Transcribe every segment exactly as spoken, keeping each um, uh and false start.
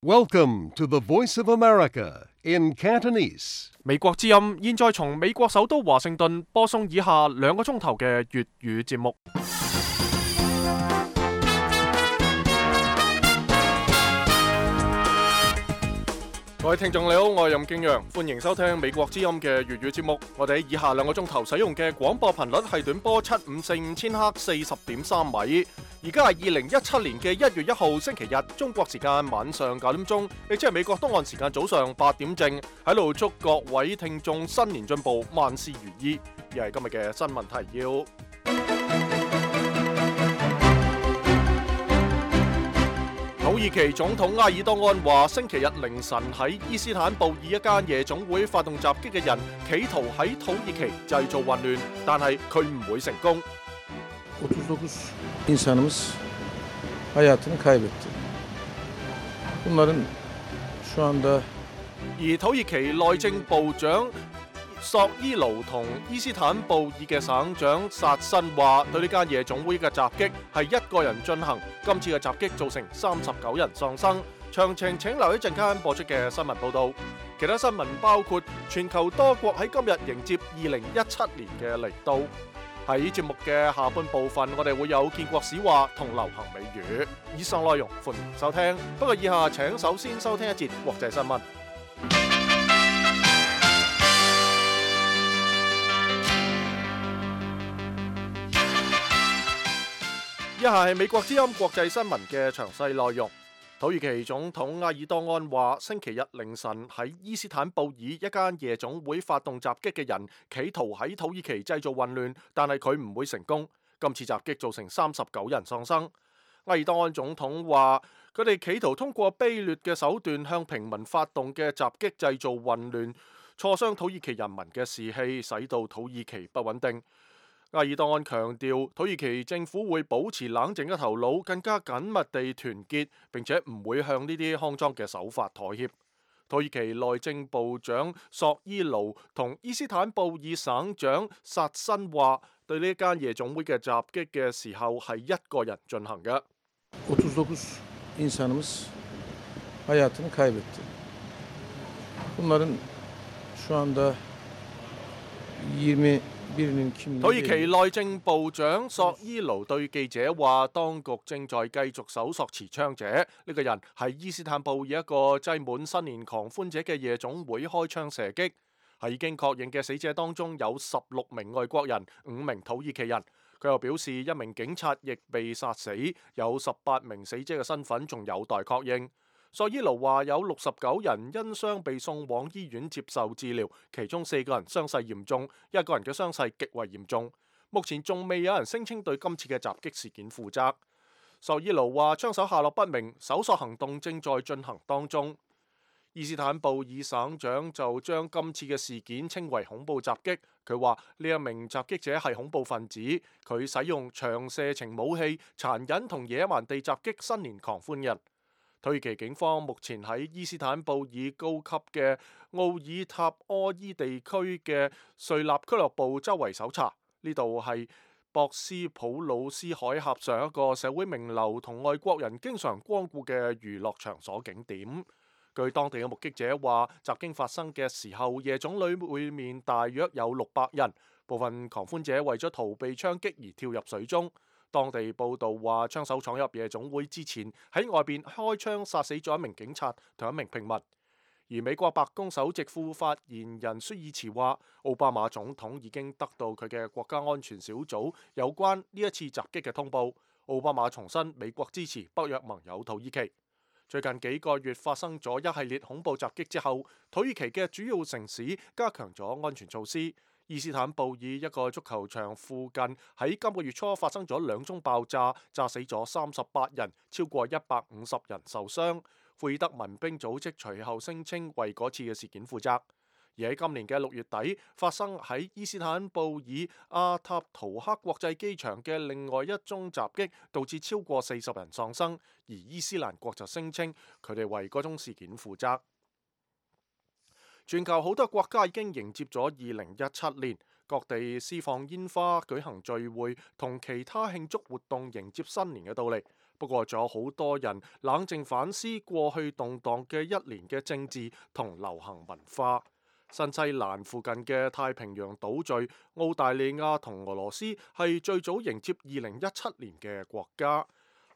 Welcome to the Voice of America in Cantonese. 美國之音現在從美國首都華盛頓播送以下兩個鐘頭嘅粵語節目。各位聽眾你好，我係任敬陽，歡迎收聽美國之音嘅粵語節目。我哋喺以下兩個鐘頭使用嘅廣播頻率係短波七五四五千赫四十點三米。而家係二零一七年嘅一月一號星期日，中國時間晚上九點鐘，亦即係美國東岸時間早上八點正，喺度祝各位聽眾新年進步，萬事如意。而係今日嘅新聞提要。土耳其總統埃爾多安話，星期日凌晨喺伊斯坦布爾一間夜總會發動襲擊嘅人，企圖喺土耳其製造混亂，但係佢唔會成功。otuz dokuz insanımız hayatını kaybetti. Bunların şu anda 而土耳其內政部長索伊盧同伊斯坦布爾嘅省長薩辛話，對呢間夜總會嘅襲擊係一個人進行。今次嘅襲擊造成三十九人喪生。詳情請留一陣間播出嘅新聞報導。其他新聞包括全球多國喺今日迎接二零一七年嘅嚟到。喺節目嘅下半部分，我哋會有建國史話同流行美語。以上內容歡迎收聽。不過以下請首先收聽一節國際新聞。以下係美國之音國際新聞嘅詳細內容。土耳其總統埃爾多安話，星期日凌晨喺伊斯坦布爾一間夜總會發動襲擊嘅人，企圖喺土耳其製造混亂，但係佢唔會成功。今次襲擊造成三十九人喪生。埃爾多安總統話，佢哋企圖通過卑劣嘅手段向平民發動嘅襲擊製造混亂，挫傷土耳其人民嘅士氣，使到土耳其不穩定。埃爾多安強調，土耳其政府會保持冷靜嘅頭腦，更加緊密地團結，並且唔會向呢啲骯髒嘅手法妥協。土耳其內政部長索伊盧同伊斯坦布爾省長薩辛話，對呢間夜總會嘅襲擊嘅時候係一個人進行嘅。otuz dokuz insanımız hayatını kaybetti. Bunların şu anda yirmi土耳其內政部長索伊盧對記者話，當局正在繼續搜索持槍者。呢、這個人喺伊斯坦布爾一個擠滿新年狂歡者嘅夜總會開槍射擊。喺已經確認嘅死者當中有十六名外國人，五名土耳其人。佢又表示，一名警察亦被殺死，有十八名死者嘅身份仲有待確認。索伊盧話有六十九人因傷被送往醫院接受治療，其中四個人傷勢嚴重，一個人嘅傷勢極為嚴重。目前仲未有人聲稱對今次嘅襲擊事件負責。索伊盧話槍手下落不明，搜索行動正在進行當中。伊斯坦布爾省長就將今次嘅事件稱為恐怖襲擊。佢話呢一名襲擊者係恐怖分子，佢使用長射程武器，殘忍同野蠻地襲擊新年狂歡人。土耳其警方目前喺伊斯坦布爾高級嘅奧爾塔柯伊地區嘅瑞納俱樂部周圍搜查，呢度係博斯普魯斯海峽上一個社會名流同外國人經常光顧嘅娛樂場所景點。據當地嘅目擊者話，襲擊發生嘅時候，夜總會面大約有六百人，部分狂歡者為咗逃避槍擊而跳入水中。當地報道話，槍手闖入夜總會之前喺外邊開槍殺死咗一名警察同一名平民。而美國白宮首席副發言人舒爾茨話，奧巴馬總統已經得到佢嘅國家安全小組有關呢一次襲擊嘅通報。奧巴馬重申美國支持北約盟友土耳其。最近幾個月發生咗一系列恐怖襲擊之後，土耳其嘅主要城市加強咗安全措施。伊斯坦布爾一個足球場附近喺今個月初發生咗兩宗爆炸，炸死咗三十八人，超過一百五十人受傷。庫爾德民兵組織隨後聲稱為嗰次嘅事件負責。而喺今年嘅六月底發生喺伊斯坦布爾阿塔圖克國際機場嘅另外一宗襲擊，導致超過四十人喪生，而伊斯蘭國就聲稱佢哋為嗰宗事件負責。全球好多國家已經迎接咗二零一七年，各地施放煙花、舉行聚會同其他慶祝活動迎接新年嘅到嚟。不過仲有好多人冷靜反思過去動盪嘅一年嘅政治同流行文化。新西蘭附近嘅太平洋島嶼澳大利亞同俄羅斯係最早迎接二零一七年嘅國家。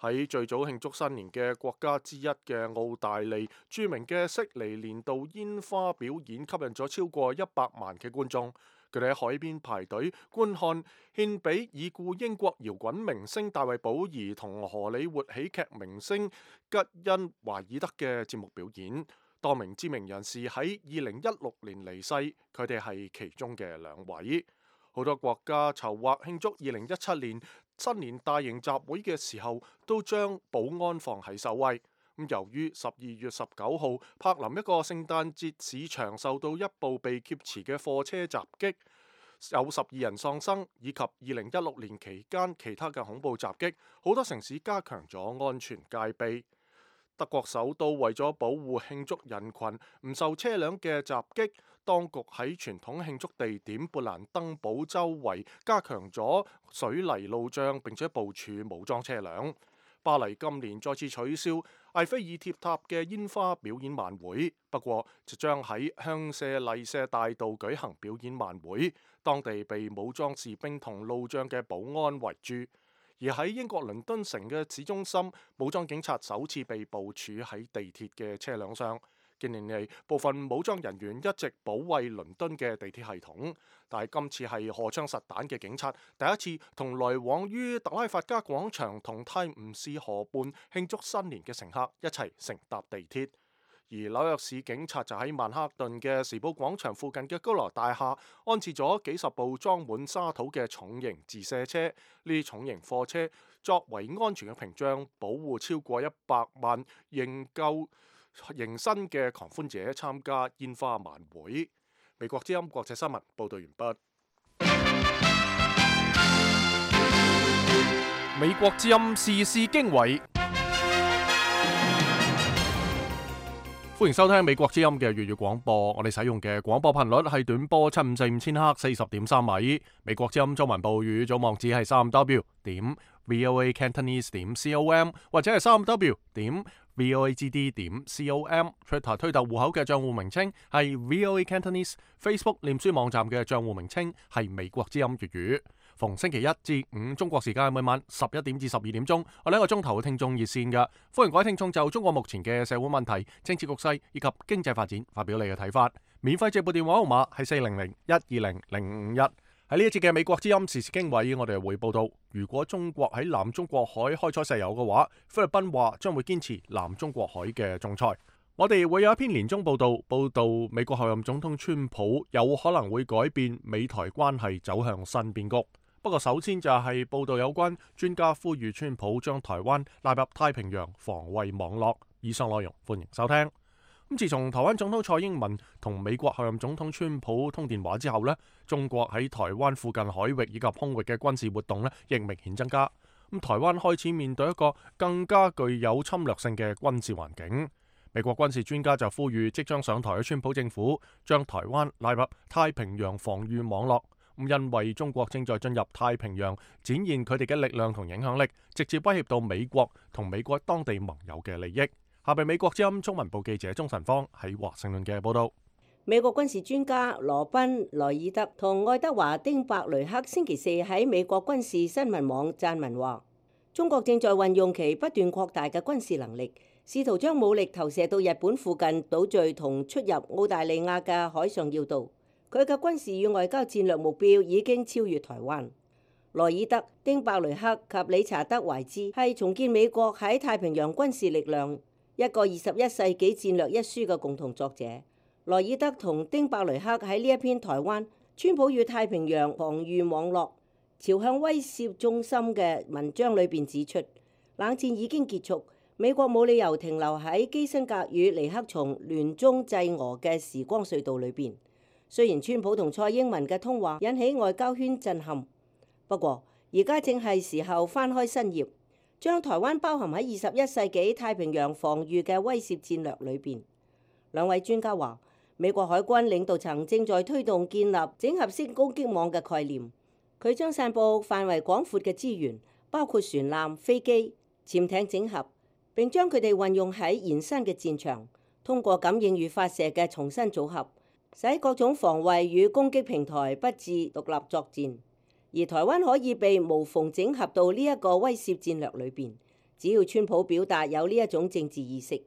喺最早慶祝新年嘅國家之一嘅澳大利，著名嘅悉尼年度煙花表演吸引咗超過一百萬嘅觀眾。佢哋喺海邊排隊觀看獻俾已故英國搖滾明星大衛保兒同荷里活喜劇明星吉恩華爾德嘅節目表演。多名知名人士喺二零一六年離世，佢哋係其中嘅兩位。好多國家籌劃慶祝二零一七年新年大型集會嘅時候，都將保安放喺首位。咁由於十二月十九號柏林一個聖誕節市場受到一部被劫持嘅貨車襲擊，有十二人喪生，以及二零一六年期間其他嘅恐怖襲擊，好多城市加強咗安全戒備。德國首都為咗保護慶祝人群唔受車輛嘅襲擊，當局喺傳統慶祝地點勃蘭登堡周圍加強咗水泥路障，並且部署武裝車輛。巴黎今年再次取消埃菲爾鐵塔嘅煙花表演晚會，不過就將喺香榭麗舍大道舉行表演晚會，當地被武裝士兵同路障嘅保安圍住。而喺英國倫敦城嘅市中心，武裝警察首次被部署喺地鐵嘅車輛上。近年嚟，部分武裝人員一直保衛倫敦嘅地鐵系統，但係今次係荷槍實彈嘅警察第一次同來往於特拉法加廣場同泰晤士河畔慶祝新年嘅乘客一齊乘搭地鐵。而紐約市警察就喺曼克頓嘅時報廣場附近嘅高樓大廈安置咗幾十部裝滿沙土嘅重型自卸車，呢啲重型貨車作為安全嘅屏障，保護超過一百萬仍舊迎新嘅狂歡者參加煙花晚會。美國之音國際新聞報道完畢。美國之音時事經緯。歡迎收聽美國之音嘅粵語廣播，我哋使用嘅廣播頻率係短波七五四五千赫四十點三米。美國之音中文部語組網址係三 w 點 voa cantonese 點 com 或者係三 w 點 voagd 點 com。Twitter 推特戶口嘅賬戶名稱係 voa cantonese，Facebook 臉書網站嘅賬戶名稱係美國之音粵語。逢星期一至五中國時間每晚十一點至十二點鐘，我哋一個鐘頭嘅聽眾熱線嘅，歡迎各位聽眾就中國目前嘅社會問題、政治局勢以及經濟發展發表你嘅睇法。免費直撥電話號碼係四零零一二零零五一。喺呢一節嘅美國之音時事經緯，我哋會報道，如果中國喺南中國海開採石油嘅話，菲律賓話將會堅持南中國海嘅仲裁。我哋會有一篇年終報道，報道美國候任總統川普有可能會改變美台關係走向新變局。不過首先就係報道有關專家呼籲川普將台灣納入太平洋防衛網絡。以上內容歡迎收聽。咁自從台灣總統蔡英文同美國候任總統川普通電話之後呢，中國喺台灣附近海域以及空域嘅軍事活動呢亦明顯增加。咁台灣開始面對一個更加具有侵略性嘅軍事環境。美國軍事專家就呼籲即將上台嘅川普政府將台灣納入太平洋防禦網絡。因為中國正在進入太平洋，展現佢哋嘅力量同影響力，直接威脅到美國同美國當地盟友嘅利益。下邊美國之音中文部記者鍾晨芳喺華盛頓嘅報道。美國軍事專家羅賓萊爾德同愛德華丁伯雷克星期四喺美國軍事新聞網撰文話，中國正在運用其不斷擴大嘅軍事能力，試圖將武力投射到日本附近島嶼同出入澳大利亞嘅海上要道。佢嘅軍事與外交戰略目標已經超越台灣。萊爾德、丁伯雷克及理查德懷茲係重建美國喺太平洋軍事力量一個二十一世紀戰略一書嘅共同作者。萊爾德同丁伯雷克喺呢一篇台灣川普與太平洋防禦網絡朝向威懾中心嘅文章裏邊指出，冷戰已經結束，美國冇理由停留喺基辛格與尼克松聯中制俄嘅時光隧道裏邊。雖然川普同蔡英文嘅通話引起外交圈震撼，不過而家正係時候翻開新頁，將台灣包含喺二十一世紀太平洋防禦嘅威懾戰略裏邊。兩位專家話，美國海軍領導層正在推動建立整合式攻擊網嘅概念，佢將散佈範圍廣闊嘅資源，包括船艦、飛機、潛艇整合，並將佢哋運用喺延伸嘅戰場，通過感應與發射嘅重新組合，使各種防衛與攻擊平台不致獨立作戰。而台灣可以被無縫整合到呢一個威懾戰略裏邊，只要川普表達有呢一種政治意識。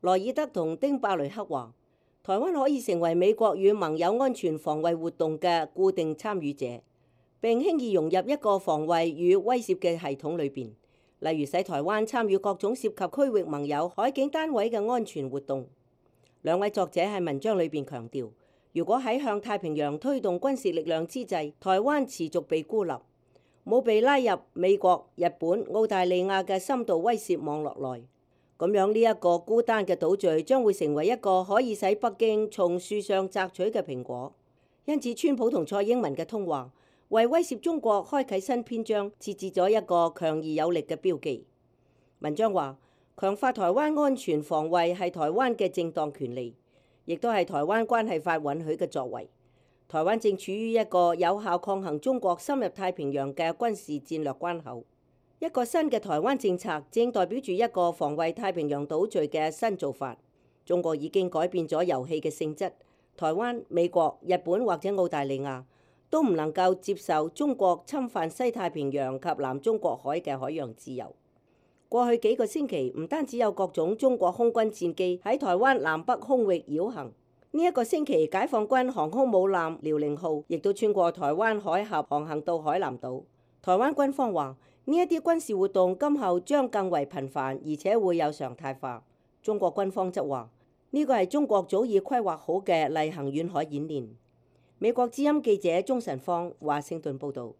萊爾德同丁伯雷克話，台灣可以成為美國與盟友安全防衛活動嘅固定參與者，並輕易融入一個防衛與威懾嘅系統裏邊，例如使台灣參與各種涉及區域盟友海警單位嘅安全活動。兩位作者喺文章裏邊強調，如果喺向太平洋推動軍事力量之際，台灣持續被孤立，冇被拉入美國、日本、澳大利亞嘅深度威懾網絡內，咁樣呢一個孤單嘅島嶼將會成為一個可以使北京從樹上摘取嘅蘋果。因此，川普同蔡英文嘅通話為威懾中國開啟新篇章設置咗一個強而有力嘅標記。文章話，強化台灣安全防衛係台灣嘅正當權利，亦都係台灣關係法允許嘅作為。台灣正處於一個有效抗衡中國深入太平洋嘅軍事戰略關口。一個新嘅台灣政策正代表住一個防衛太平洋島嶼嘅新做法。中國已經改變咗遊戲嘅性質，台灣、美國、日本或者澳大利亞都唔能夠接受中國侵犯西太平洋及南中國海嘅海洋自由。過去幾個星期，唔單止有各種中國空軍戰機喺台灣南北空域繞行，呢一個星期解放軍航空母艦遼寧號亦都穿過台灣海峽航行到海南島。台灣軍方話，呢一啲軍事活動今後將更為頻繁，而且會有常態化。中國軍方則話，呢個係中國早已規劃好嘅例行遠海演練。美國之音記者鍾晨芳華盛頓報導。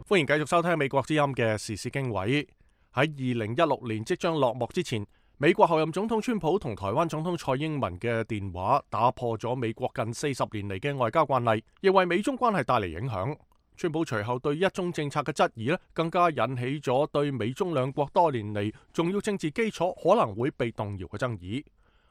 歡迎繼續收聽美國之音嘅時事經緯。喺二零一六年即將落幕之前，美國候任總統川普同台灣總統蔡英文嘅電話打破咗美國近四十年嚟嘅外交慣例，亦為美中關係帶嚟影響。川普隨後對一中政策嘅質疑咧，更加引起咗對美中兩國多年嚟重要政治基礎可能會被動搖嘅爭議。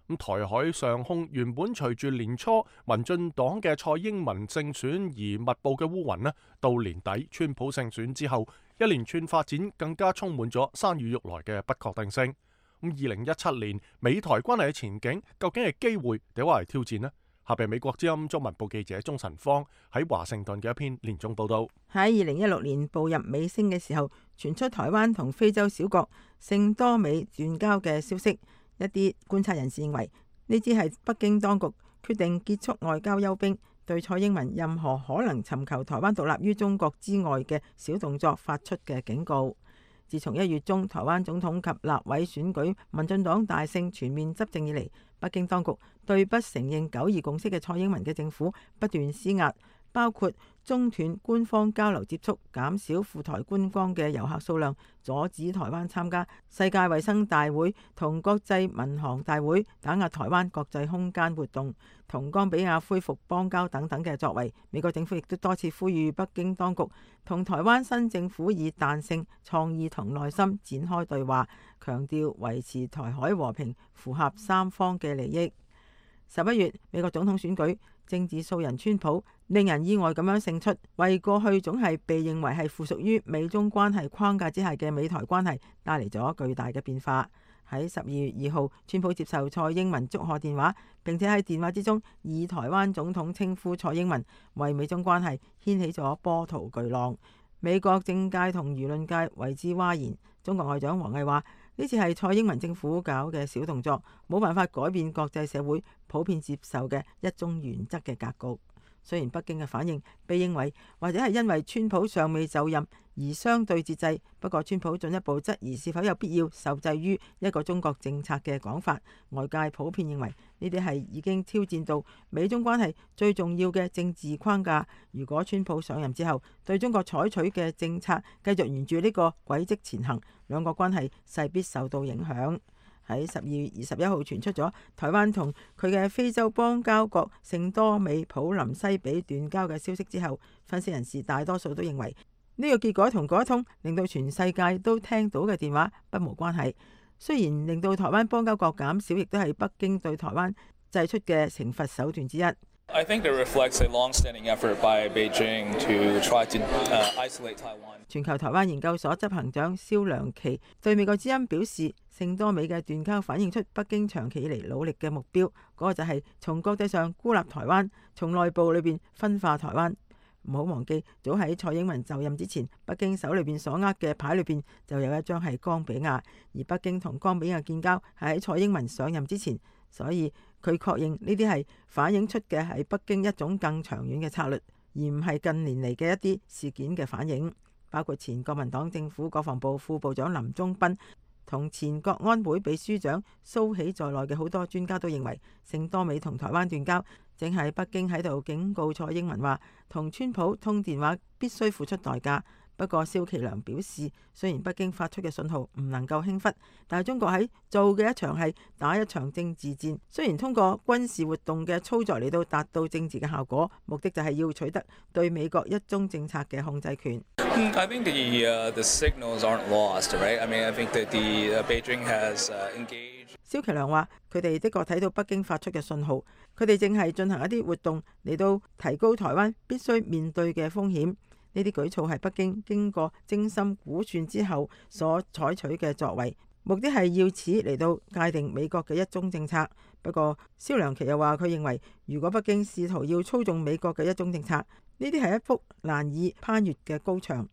咁台海上空原本隨住年初民進黨嘅蔡英文勝選而密佈嘅烏雲咧，到年底川普勝選之後，一連串發展更加充滿咗山雨欲來嘅不確定性。咁二零一七年美台關係嘅前景究竟係機會定話係挑戰呢？下邊美國之音中文部記者鍾晨芳喺華盛頓嘅一篇連中報道。喺二零一六年步入尾聲嘅時候，傳出台灣同非洲小國聖多美斷交嘅消息。一啲觀察人士認為，呢只係北京當局決定結束外交休兵，對蔡英文任何可能尋求台灣獨立於中國之外嘅小動作發出嘅警告。自從一月中台灣總統及立委選舉民進黨大勝全面執政以嚟，北京當局對不承認九二共識嘅蔡英文嘅政府不斷施壓，包括中斷官方交流接觸、減少赴台觀光嘅遊客數量、阻止台灣參加世界衛生大會同國際民航大會、打壓台灣國際空間活動、同岡比亞恢復邦交等等嘅作為。美國政府亦都多次呼籲北京當局同台灣新政府以彈性、創意同耐心展開對話，強調維持台海和平符合三方嘅利益。十一月美國總統選舉，政治素人川普令人意外咁樣勝出，為過去總係被認為係附屬於美中關係框架之下嘅美台關係帶嚟咗巨大嘅變化。喺十二月二號，川普接受蔡英文祝賀電話，並且喺電話之中以台灣總統稱呼蔡英文，為美中關係掀起咗波濤巨浪。美國政界同輿論界為之嘩然。中國外長王毅話：呢次係蔡英文政府搞嘅小動作，冇辦法改變國際社會普遍接受嘅一中原則嘅格局。雖然北京嘅反應被認為或者係因為川普尚未就任而相對節制，不過川普進一步質疑是否有必要受制於一個中國政策嘅講法。外界普遍認為呢啲係已經挑戰到美中關係最重要嘅政治框架。如果川普上任之後對中國採取嘅政策繼續沿住呢個軌跡前行，兩國關係勢必受到影響。喺十二月二十一號傳出咗台灣同佢嘅非洲邦交國聖多美普林西比斷交嘅消息之後，分析人士大多數都認為呢個結果同嗰一通令到全世界都聽到嘅電話不無關係。雖然令到台灣邦交國減少，亦都係北京對台灣祭出嘅懲罰手段之一。I think it reflects a long-standing effort by Beijing to try to isolate Taiwan. 全球台灣研究所執行長蕭良琪對美國之音表示，聖多美嘅斷交反映出北京長期以嚟努力嘅目標，嗰、那個就係從國際上孤立台灣，從內部裏邊分化台灣。唔好忘記，早喺蔡英文就任之前，北京手裏邊所握嘅牌裏邊就有一張係岡比亞，而北京同岡比亞建交係喺蔡英文上任之前，所以佢確認呢啲係反映出嘅係北京一種更長遠嘅策略，而唔係近年嚟嘅一啲事件嘅反應。包括前國民黨政府國防部副部長林忠斌同前國安會秘書長蘇喜在內嘅好多專家都認為，聖多美同台灣斷交，正係北京喺度警告蔡英文話，同川普通電話必須付出代價。不過蕭其良表示，雖然北京發出嘅信號唔能夠輕忽，但係中國喺做嘅一場係打一場政治戰。雖然通過軍事活動嘅操作嚟到達到政治嘅效果，目的就係要取得對美國一中政策嘅控制權。I think the, uh, the signals aren't lost, right? I mean, I think that the, uh, Beijing has, uh, engaged. 蕭其良話：佢哋的確睇到北京發出嘅信號，佢哋正係進行一啲活動嚟到提高台灣必須面對嘅風險。呢啲舉措係北京經過精心估算之後所採取嘅作為，目的係要此嚟到界定美國嘅一中政策。不過蕭良琪又話，佢認為如果北京試圖要操縱美國嘅一中政策，呢啲係一幅難以攀越嘅高牆。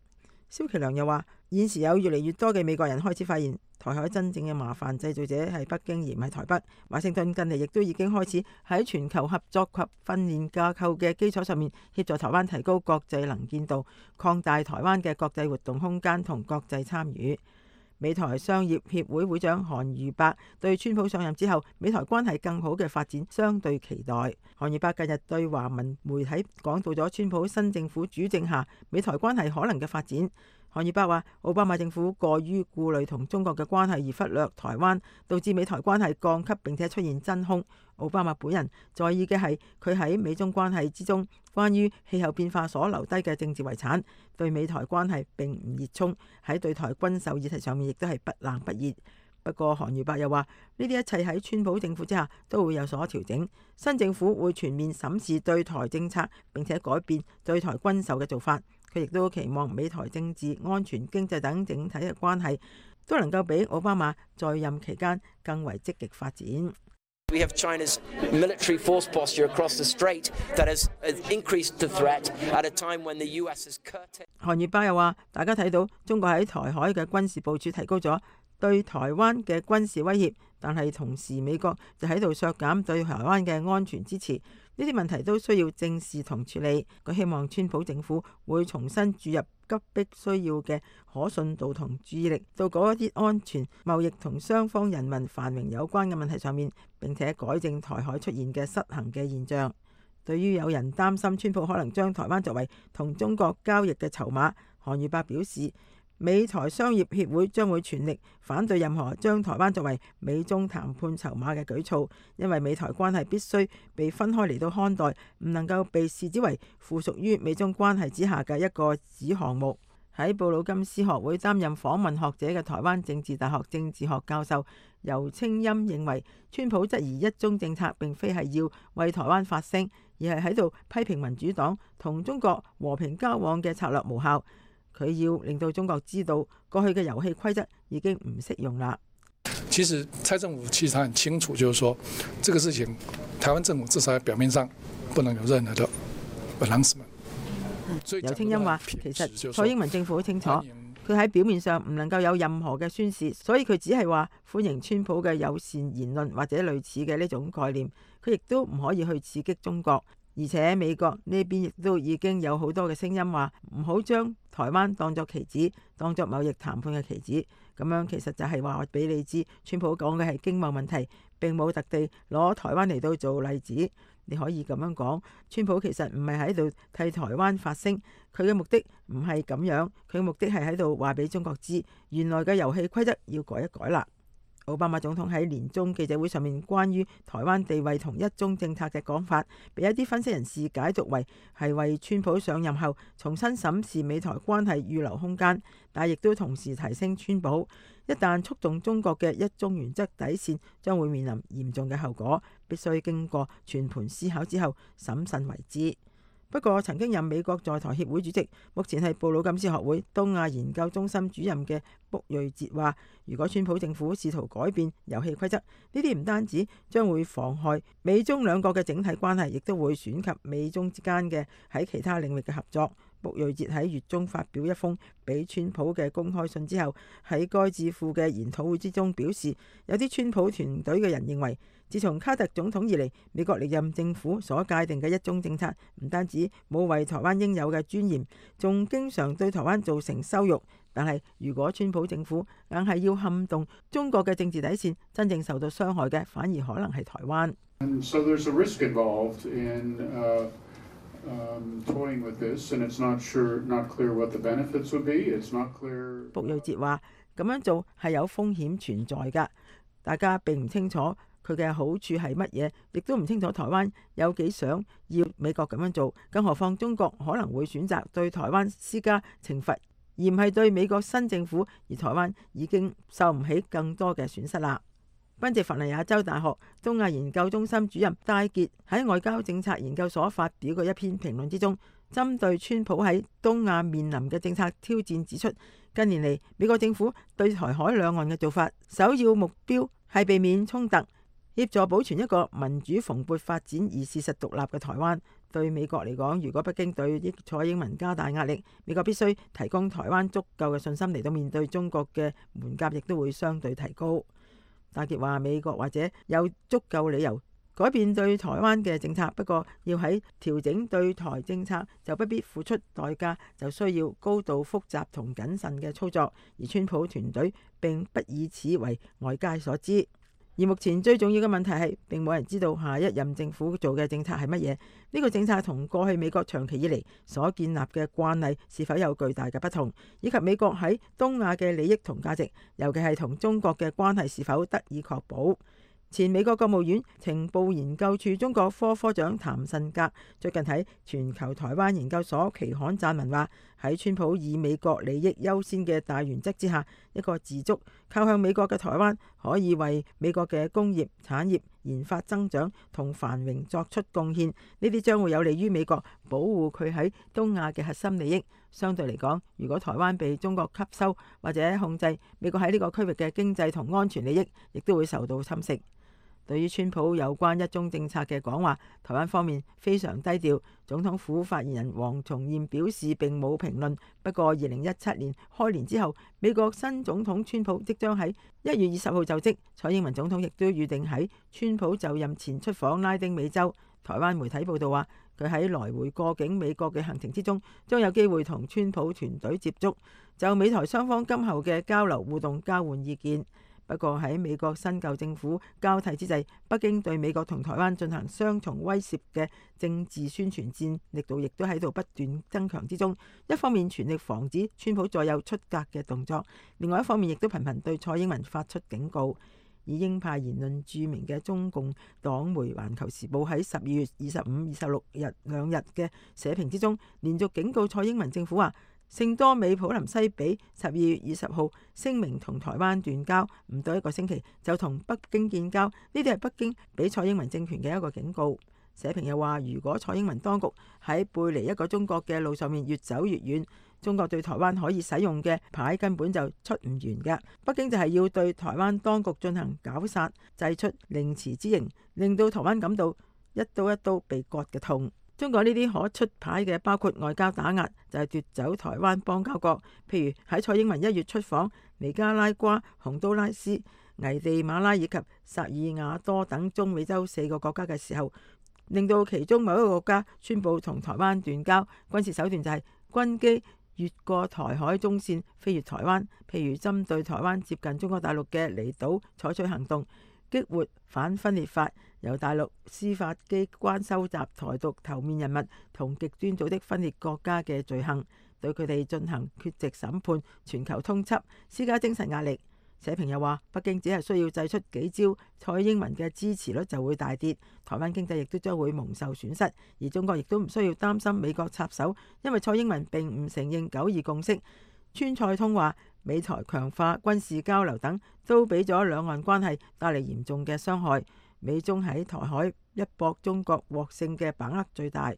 蕭其良又話，現時有越嚟越多嘅美國人開始發現，台海真正嘅麻煩製造者係北京而唔係台北。華盛頓近嚟亦都已經開始喺全球合作及訓練架構嘅基礎上面協助台灣提高國際能見度，擴大台灣嘅國際活動空間同國際參與。美台商業協會會長韓如伯對川普上任之後美台關係更好嘅發展相對期待。韓如伯近日對華文媒體講到咗川普新政府主政下美台關係可能嘅發展。韓如伯話，奧巴馬政府過於顧慮同中國嘅關係而忽略台灣，導致美台關係降級並且出現真空。奧巴馬本人在意嘅係佢喺美中關係之中關於氣候變化所留低嘅政治遺產，對美台關係並唔熱衷，喺對台軍售議題上面亦都係不冷不熱。不過韓如伯又話，呢啲一切喺川普政府之下都會有所調整，新政府會全面審視對台政策並且改變對台軍售嘅做法。佢亦都期望美台政治、安全、經濟等整體嘅關係都能夠比奧巴馬在任期間更為積極發展。We have China's military force posture across the strait that has increased the threat at a time when the U S is curtailed. 韓如伯又話，大家睇到中國喺台海嘅軍事部署提高咗對台灣嘅軍事威脅，但係同時美國就喺度削減對台灣嘅安全支持。呢啲問題都需要正視同處理。佢希望川普政府會重新注入急迫需要嘅可信度同注意力到嗰一啲安全、貿易同雙方人民繁榮有關嘅問題上面，並且改正台海出現嘅失衡嘅現象。對於有人擔心川普可能將台灣作為同中國交易嘅籌碼，韓如伯表示，美台商業協會將會全力反對任何將台灣作為美中談判籌碼嘅舉措，因為美台關係必須被分開嚟到看待，唔能夠被視之為附屬於美中關係之下嘅一個子項目。喺布魯金斯學會擔任訪問學者嘅台灣政治大學政治學教授游清欽認為，川普質疑一中政策並非係要為台灣發聲，而係喺度批評民主黨同中國和平交往嘅策略無效。佢要令到中國知道過去嘅遊戲規則已經唔適用啦。其實蔡政府其實他很清楚，就是說這個事情台灣政府至少喺表面上不能有任何的 announcement。游清欽話，其實蔡英文政府好清楚，佢喺表面上唔能夠有任何嘅宣示，所以佢只係話歡迎川普嘅友善言論或者類似嘅呢種概念，佢亦都唔可以去刺激中國。而且美國呢邊亦都已經有好多嘅聲音話唔好將台灣當作棋子，當作貿易談判嘅棋子。咁樣其實就係話俾你知，川普講嘅係經貿問題，並冇特地攞台灣嚟到做例子。你可以咁樣講，川普其實唔係喺度替台灣發聲，佢嘅目的唔係咁樣，佢嘅目的係喺度話俾中國知，原來嘅遊戲規則要改一改啦。奧巴馬總統喺年中記者會上面關於台灣地位同一中政策嘅講法，被一啲分析人士解讀為係為川普上任後重新審視美台關係預留空間，但亦都同時提升川普一旦觸動中國嘅一中原則底線，將會面臨嚴重嘅後果，必須經過全盤思考之後審慎為之。不過，曾經任美國在台協會主席，目前係布魯金斯學會東亞研究中心主任嘅卜瑞哲話，如果川普政府試圖改變遊戲規則，呢啲唔單止將會妨害美中兩國嘅整體關係，亦都會損及美中之間嘅喺其他領域嘅合作。卜瑞哲喺月中發表一封俾川普嘅公開信之後，喺該智庫嘅研討會之中表示，有啲川普團隊嘅人認為，自從卡特總統以嚟，美國歷任政府所界定嘅一中政策唔單止冇為台灣應有嘅尊嚴，仲經常對台灣造成羞辱。但係如果川普政府硬係要撼動中國嘅政治底線，真正受到傷害嘅反而可能係台灣。And so there's a risk involved in, uh, um, toying with this, and it's not sure, not clear what the benefits would be. It's not clear. 卜瑞哲話：咁樣做係有風險存在㗎，大家並唔清楚佢嘅好處係乜嘢，亦都唔清楚台灣有幾想要美國咁樣做。更何況中國可能會選擇對台灣施加懲罰，而唔係對美國新政府，而台灣已經受唔起更多嘅損失啦。賓夕法尼亞州大學東亞研究中心主任戴傑喺外交政策研究所發表嘅一篇評論之中，針對川普喺東亞面臨嘅政策挑戰指出，近年嚟美國政府對台海兩岸嘅做法，首要目標係避免衝突，協助保存一個民主蓬勃發展而事實獨立嘅台灣。對美國嚟講，如果北京對蔡英文加大壓力，美國必須提供台灣足夠嘅信心嚟到面對中國嘅門檻，亦都會相對提高。戴傑話：美國或者有足夠理由改變對台灣嘅政策，不過要喺調整對台政策就不必付出代價，就需要高度複雜同謹慎嘅操作，而川普團隊並不以此為外界所知。而目前最重要嘅問題係，並冇人知道下一任政府做嘅政策係乜嘢。呢個政策同過去美國長期以嚟所建立嘅慣例是否有巨大嘅不同，以及美國喺東亞嘅利益同價值，尤其係同中國嘅關係是否得以確保。前美國國務院情報研究處中國科科長譚慎格最近喺全球台灣研究所期刊撰文話，喺川普以美國利益優先嘅大原則之下，一個自足靠向美國嘅台灣可以為美國嘅工業、產業、研發增長同繁榮作出貢獻，呢啲將會有利於美國保護佢喺東亞嘅核心利益。相對嚟講，如果台灣被中國吸收或者控制，美國喺呢個區域嘅經濟同安全利益亦都會受到侵蝕。對於川普有關一中政策嘅講話，台灣方面非常低調。總統府發言人黃重諺表示並冇評論。不過，二零一七年開年之後，美國新總統川普即將喺一月二十號就職，蔡英文總統亦都預定喺川普就任前出訪拉丁美洲。台灣媒體報道話，佢喺來回過境美國嘅行程之中，將有機會同川普團隊接觸，就美台雙方今後嘅交流互動交換意見。不過喺美國新舊政府交替之際，北京對美國同台灣進行雙重威懾嘅政治宣傳戰力度亦都喺度不斷增強之中。一方面全力防止川普再有出格嘅動作，另外一方面亦都頻頻對蔡英文發出警告。以鷹派言論著名嘅中共黨媒《環球時報》喺十二月二十五、二十六日兩日嘅社評之中，連續警告蔡英文政府話，聖多美普林西比十二月二十號聲明同台灣斷交，唔到一個星期就同北京建交，呢啲係北京俾蔡英文政權嘅一個警告。社評又話，如果蔡英文當局喺背離一個中國嘅路上面越走越遠，中國對台灣可以使用嘅牌根本就出唔完嘅。北京就係要對台灣當局進行絞殺，祭出凌遲之刑，令到台灣感到一刀一刀被割嘅痛。中國呢啲可出牌嘅包括外交打壓，就係奪走台灣邦交國，譬如喺蔡英文一月出訪尼加拉瓜、洪都拉斯、危地馬拉以及薩爾瓦多等中美洲四個國家嘅時候，令到其中某一個國家宣布同台灣斷交。軍事手段就係軍機越過台海中線飛越台灣，譬如針對台灣接近中國大陸嘅離島採取行動，激活反分裂法，由大陸司法機關收集台獨頭面人物同極端組織分裂國家嘅罪行，對佢哋進行缺席審判、全球通緝，施加精神壓力。社評又話，北京只係需要祭出幾招，蔡英文嘅支持率就會大跌，台灣經濟亦都將會蒙受損失。而中國亦都唔需要擔心美國插手，因為蔡英文並唔承認九二共識。川菜通話，美台強化軍事交流等，都俾咗兩岸關係帶嚟嚴重嘅傷害。美中喺台海一搏，中國獲勝嘅把握最大。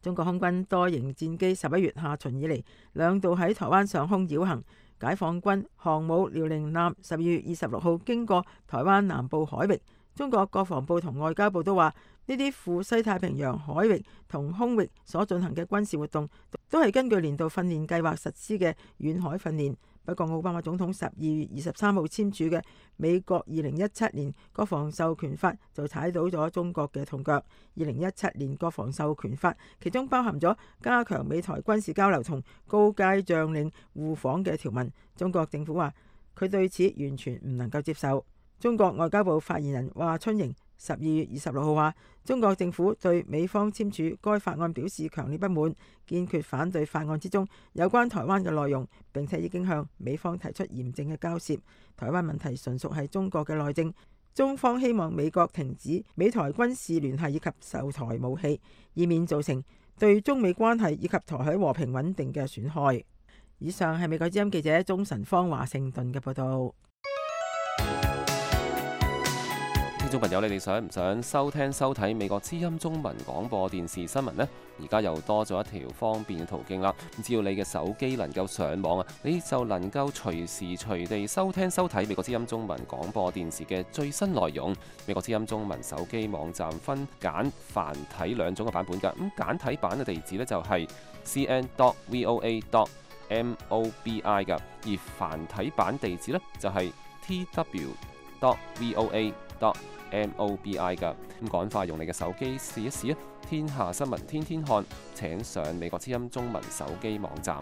中國空軍多型戰機十一月下旬以嚟兩度喺台灣上空繞行，解放軍航母遼寧艦十二月二十六號經過台灣南部海域。中國國防部同外交部都話，呢啲赴西太平洋海域同空域所進行嘅軍事活動，都係根據年度訓練計劃實施嘅遠海訓練。不過，奧巴馬總統十二月二十三號簽署嘅美國二零一七年國防授權法就踩到咗中國嘅痛腳。二零一七年國防授權法其中包含咗加強美台軍事交流同高階將領互訪嘅條文。中國政府話佢對此完全唔能夠接受。中國外交部發言人華春瑩十二月二十六號話，中國政府對美方簽署該法案表示強烈不滿，堅決反對法案之中有關台灣嘅內容，並且已經向美方提出嚴正嘅交涉。台灣問題純屬係中國嘅內政，中方希望美國停止美台軍事聯繫以及售台武器，以免造成對中美關係以及台海和平穩定嘅損害。以上係美國之音記者鍾晨芳華盛頓嘅報道。聽眾朋友，你哋想唔想收聽收睇美國之音中文廣播電視新聞呢？而家又多咗一條方便嘅途徑啦！只要你嘅手機能夠上網啊，你就能夠隨時隨地收聽收睇美國之音中文廣播電視嘅最新內容。美國之音中文手機網站分簡繁體兩種嘅版本㗎。咁簡體版嘅地址呢，就係 c n dot voa dot mobi 㗎，而繁體版地址呢，就係 t w dot voa dot mobi 㗎。咁趕快用你嘅手機試一試啊！天下新聞天天看，請上美國之音中文手機網站。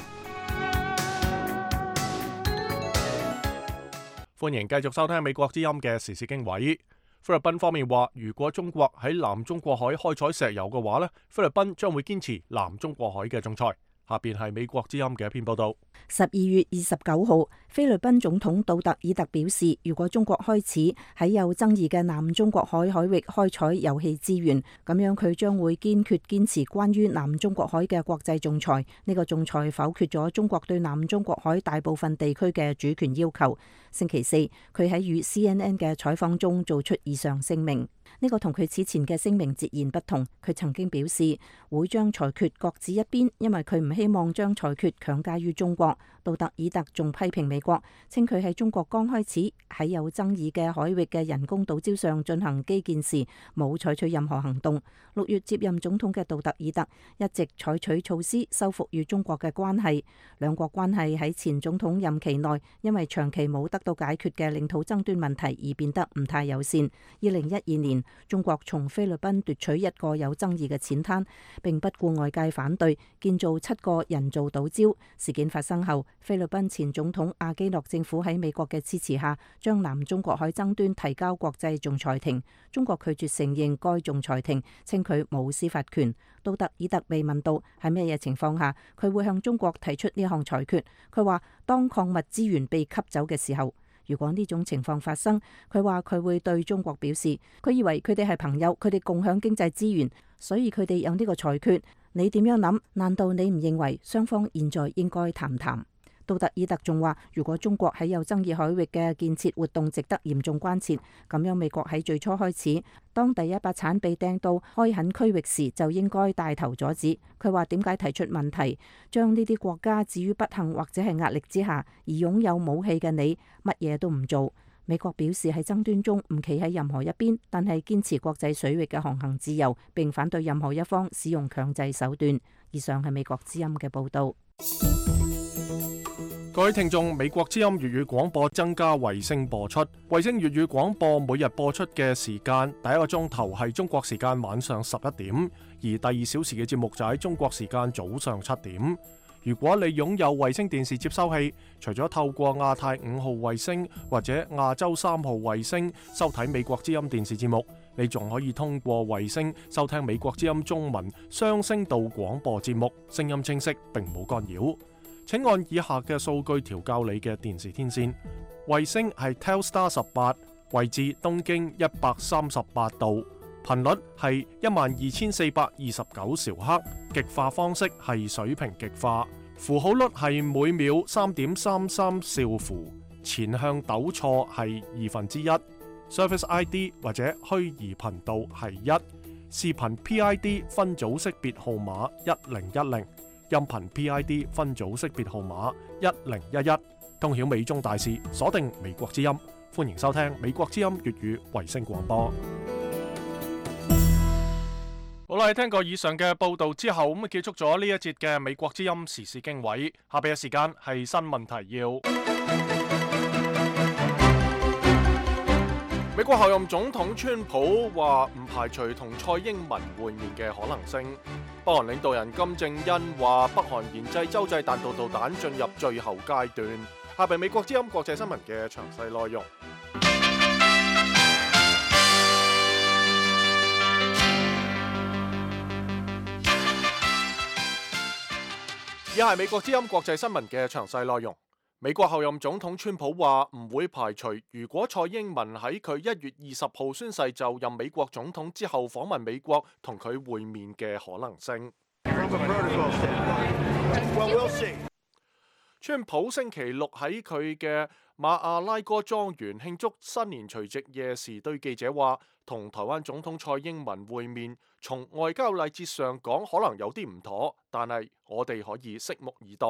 歡迎繼續收聽美國之音嘅時事經緯。菲律賓方面話，如果中國喺南中國海開採石油嘅話呢，菲律賓將會堅持南中國海嘅仲裁。下邊係美國之音嘅一篇報道。十二月二十九號，菲律賓總統杜特爾特表示，如果中國開始喺有爭議嘅南中國海海域開採油氣資源，咁樣佢將會堅決堅持關於南中國海嘅國際仲裁。呢、這個仲裁否決咗中國對南中國海大部分地區嘅主權要求。星期四，佢喺與 C N N 嘅採訪中做出以上聲明。呢、這個同佢此前嘅聲明截然不同。佢曾經表示會將裁決擱置一邊，因為佢唔希望將裁決強加於中國。杜特爾特仲批評美國，稱佢喺中國剛開始喺有爭議嘅海域嘅人工島礁上進行基建時，冇採取任何行動。六月接任總統嘅杜特爾特一直採取措施修復與中國嘅關係。兩國關係喺前總統任期內，因為長期冇得到解決嘅領土爭端問題而變得唔太友善。二零一二年，中國從菲律賓奪取一個有爭議嘅淺灘，並不顧外界反對，建造七個人造島礁。事件發生後，菲律賓前總統阿基諾政府喺美國嘅支持下，將南中國海爭端提交國際仲裁庭。中國拒絕承認該仲裁庭，稱佢冇司法權。杜特爾特被問到喺咩嘢情況下佢會向中國提出呢項裁決，佢話當礦物資源被吸走嘅時候。如果呢種情況發生，佢話佢會對中國表示，佢以為佢哋係朋友，佢哋共享經濟資源，所以佢哋有呢個裁決。你點樣諗？難道你唔認為雙方現在應該談談？杜特爾特仲話，如果中國喺有爭議海域嘅建設活動值得嚴重關切，咁樣美國喺最初開始，當第一把鏟被掟到開墾區域時，就應該帶頭阻止。佢話點解提出問題，將呢啲國家置於不幸或者係壓力之下，而擁有武器嘅你乜嘢都唔做？美國表示喺爭端中唔企喺任何一邊，但係堅持國際水域嘅航行自由，並反對任何一方使用強制手段。以上係美國之音嘅報導。各位聽眾，美國之音粵語廣播增加衛星播出。衛星粵語廣播每日播出嘅時間，第一個鐘頭係中國時間晚上十一點，而第二小時嘅節目就喺中國時間早上七點。如果你擁有衛星電視接收器，除咗透過亞太五號衛星或者亞洲三號衛星收睇美國之音電視節目，你仲可以通過衛星收聽美國之音中文雙聲道廣播節目，聲音清晰並冇干擾。請按以下嘅數據調校你嘅電視天線。衛星係 Telstar 十八，位置東經一百三十八度，頻率係一萬二千四百二十九兆赫，極化方式係水平極化，符號率係每秒三點三三兆符，前向抖錯係二分之一。Service I D 或者虛擬頻道係一，視頻 P I D 分組識別號碼一零一零，音頻 P I D 分組識別號碼一零一一。通曉美中大事，鎖定美國之音，歡迎收聽美國之音粵語衛星廣播。好啦，聽過以上嘅報道之後，咁結束咗呢一節嘅美國之音時事經緯。下邊嘅時間係新聞提要。美國候任總統川普話唔排除同蔡英文會面嘅可能性。北韓領導人金正恩話北韓研製洲際彈道導彈進入最後階段。下邊美國之音國際新聞嘅詳細內容。以下係美國之音國際新聞嘅詳細內容。美國候任總統川普話唔會排除，如果蔡英文喺佢一月二十號宣誓就任美國總統之後訪問美國，同佢會面嘅可能性。川普星期六喺佢嘅馬阿拉哥莊園慶祝新年除夕夜時，對記者話，同台灣總統蔡英文會面，從外交禮節上講可能有啲唔妥，但係我哋可以拭目以待。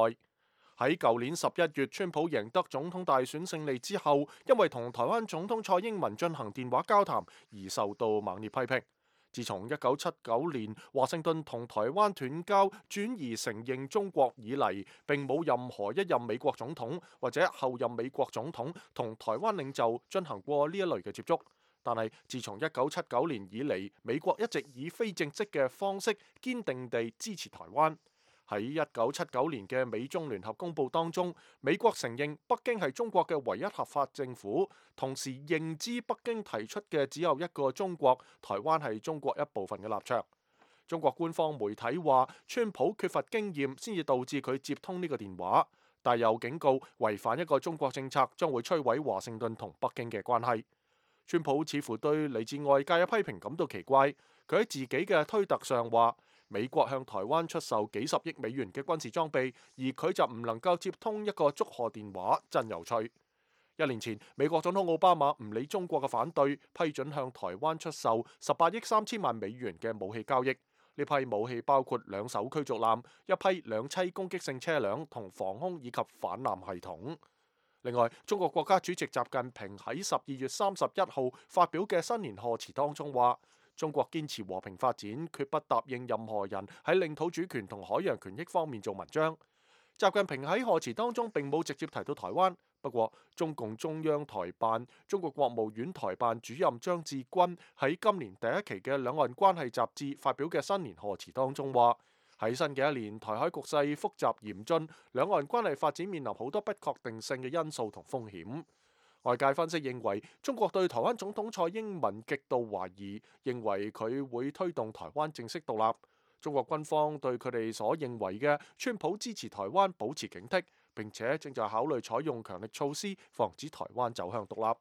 喺舊年十一月，川普贏得總統大選勝利之後，因為同台灣總統蔡英文進行電話交談而受到猛烈批評。自從一九七九年華盛頓同台灣斷交，轉移承認中國以嚟，並冇任何一任美國總統或者後任美國總統同台灣領袖進行過呢一類嘅接觸。但係自從一九七九年以嚟，美國一直以非正式嘅方式堅定地支持台灣。喺一九七九年嘅美中聯合公報當中，美國承認北京係中國嘅唯一合法政府，同時認知北京提出嘅只有一個中國，台灣係中國一部分嘅立場。中國官方媒體話，川普缺乏經驗，先至導致佢接通呢個電話，但又警告違反一個中國政策將會摧毀華盛頓同北京嘅關係。川普似乎對嚟自外界嘅批評感到奇怪，佢喺自己嘅推特上話，美國向台灣出售幾十億美元嘅軍事裝備，而佢就唔能夠接通一個祝賀電話，真有趣。一年前，美國總統奧巴馬唔理中國嘅反對，批准向台灣出售十八億三千萬美元嘅武器交易。呢批武器包括兩艘驅逐艦、一批兩棲攻擊性車輛同防空以及反艦系統。另外，中國國家主席習近平喺十二月三十一號發表嘅新年賀詞當中話，中國堅持和平發展，決不答應任何人喺領土主權同海洋權益方面做文章。習近平喺賀詞當中並冇直接提到台灣，不過中共中央台辦、中國國務院台辦主任張志軍喺今年第一期嘅兩岸關係雜誌發表嘅新年賀詞當中話，喺新嘅一年，台海局勢複雜嚴峻，兩岸關係發展面臨好多不確定性嘅因素同風險。外界分析認為，中國對台灣總統蔡英文極度懷疑，認為佢會推動台灣正式獨立。中國軍方對佢哋所認為嘅川普支持台灣保持警惕，並且正在考慮採用強力措施，防止台灣走向獨立。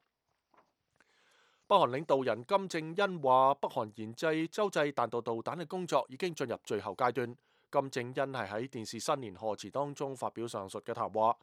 北韓領導人金正恩話，北韓研製洲際彈道導彈嘅工作已經進入最後階段。金正恩係喺電視新年賀詞當中發表上述嘅談話。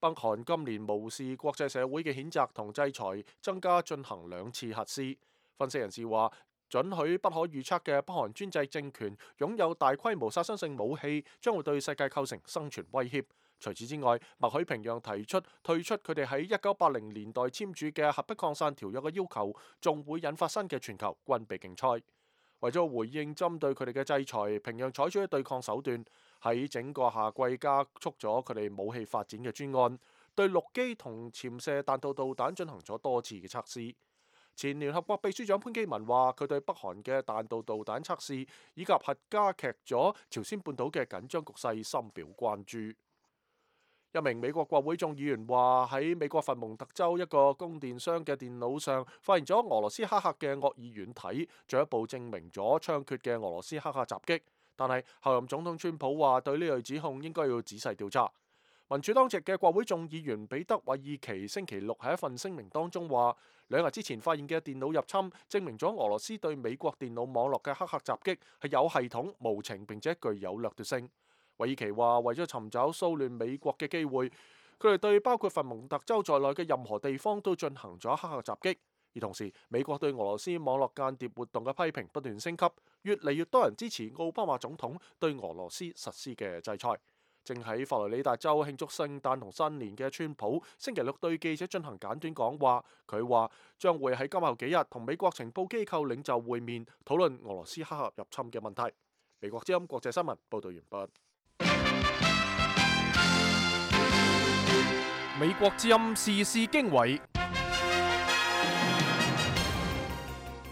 北韓今年無視國際社會嘅譴責同制裁，增加進行兩次核試。分析人士話，准許不可預測嘅北韓專制政權擁有大規模殺傷性武器，將會對世界構成生存威脅。除此之外，默許平壤提出退出佢哋喺一九八零年代簽署嘅核不擴散條約嘅要求，仲會引發新嘅全球軍備競賽。為咗回應針對佢哋嘅制裁，平壤採取咗對抗手段，喺整個夏季加速咗佢哋武器發展嘅專案，對陸基同潛射彈道導彈進行咗多次嘅測試。前聯合國秘書長潘基文話，佢對北韓嘅彈道導彈測試以及核加劇咗朝鮮半島嘅緊張局勢深表關注。一名美國國會眾議員話，喺美國佛蒙特州一個供電商嘅電腦上發現咗俄羅斯黑客嘅惡意軟體，進一步證明咗猖獗嘅俄羅斯黑客襲擊。但係候任總統川普話，對呢類指控應該要仔細調查。民主黨籍嘅國會眾議員彼得·韋爾奇星期六喺一份聲明當中話，兩日之前發現嘅電腦入侵證明咗俄羅斯對美國電腦網絡嘅黑客襲擊係有系統、無情並且具有掠奪性。韋爾奇話，為咗尋找騷亂美國嘅機會，佢哋對包括佛蒙特州在內嘅任何地方都進行咗黑客襲擊。而同時，美國對俄羅斯網絡間諜活動嘅批評不斷升級，越嚟越多人支持奧巴馬總統對俄羅斯實施嘅制裁。正喺佛羅里達州慶祝聖誕同新年嘅川普，星期六對記者進行簡短講話。佢話將會喺今後幾日同美國情報機構領袖會面，討論俄羅斯黑客入侵嘅問題。美國之音國際新聞報道完畢。美國之音時事經緯。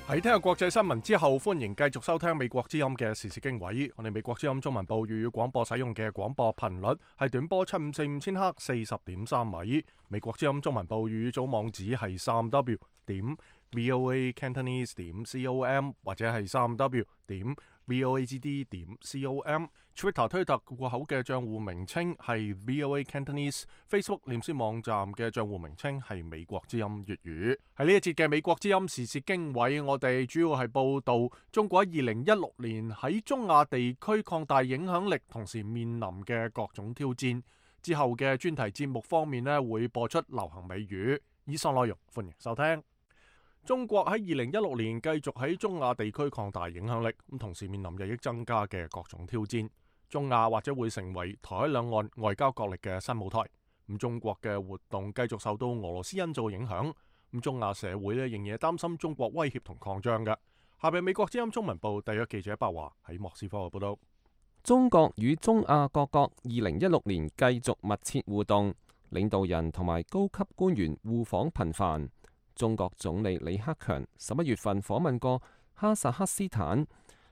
喺聽日國際新聞之後，歡迎繼續收聽美國之音嘅時事經緯。我哋美國之音中文部粵語廣播使用嘅廣播頻率係短波七五四五千赫四十點三米。美國之音中文部粵語組網址係三 w 點 voa cantonese 點 com 或者係三 w 點 voagd 點 com。Twitter 推特戶口嘅賬戶名稱係 voa cantonese。Facebook 臉書網站嘅賬戶名稱係美國之音粵語。喺呢一節嘅美國之音時事經緯，我哋主要係報道中國喺二零一六年喺中亞地區擴大影響力，同時面臨嘅各種挑戰。之後嘅專題節目方面呢，會播出流行美語。以上內容歡迎收聽。中國喺二零一六年繼續喺中亞地區擴大影響力，咁同時面臨日益增加嘅各種挑戰。中亞或者會成為台海兩岸外交角力嘅新舞台。咁中國嘅活動繼續受到俄羅斯因素影響。咁中亞社會咧仍然擔心中國威脅同擴張嘅。下邊美國之音中文部特約記者白華喺莫斯科嘅報道。中國與中亞各國二零一六年繼續密切互動，領導人同埋高級官員互訪頻繁。中國總理李克強十一月份訪問過哈薩克斯坦，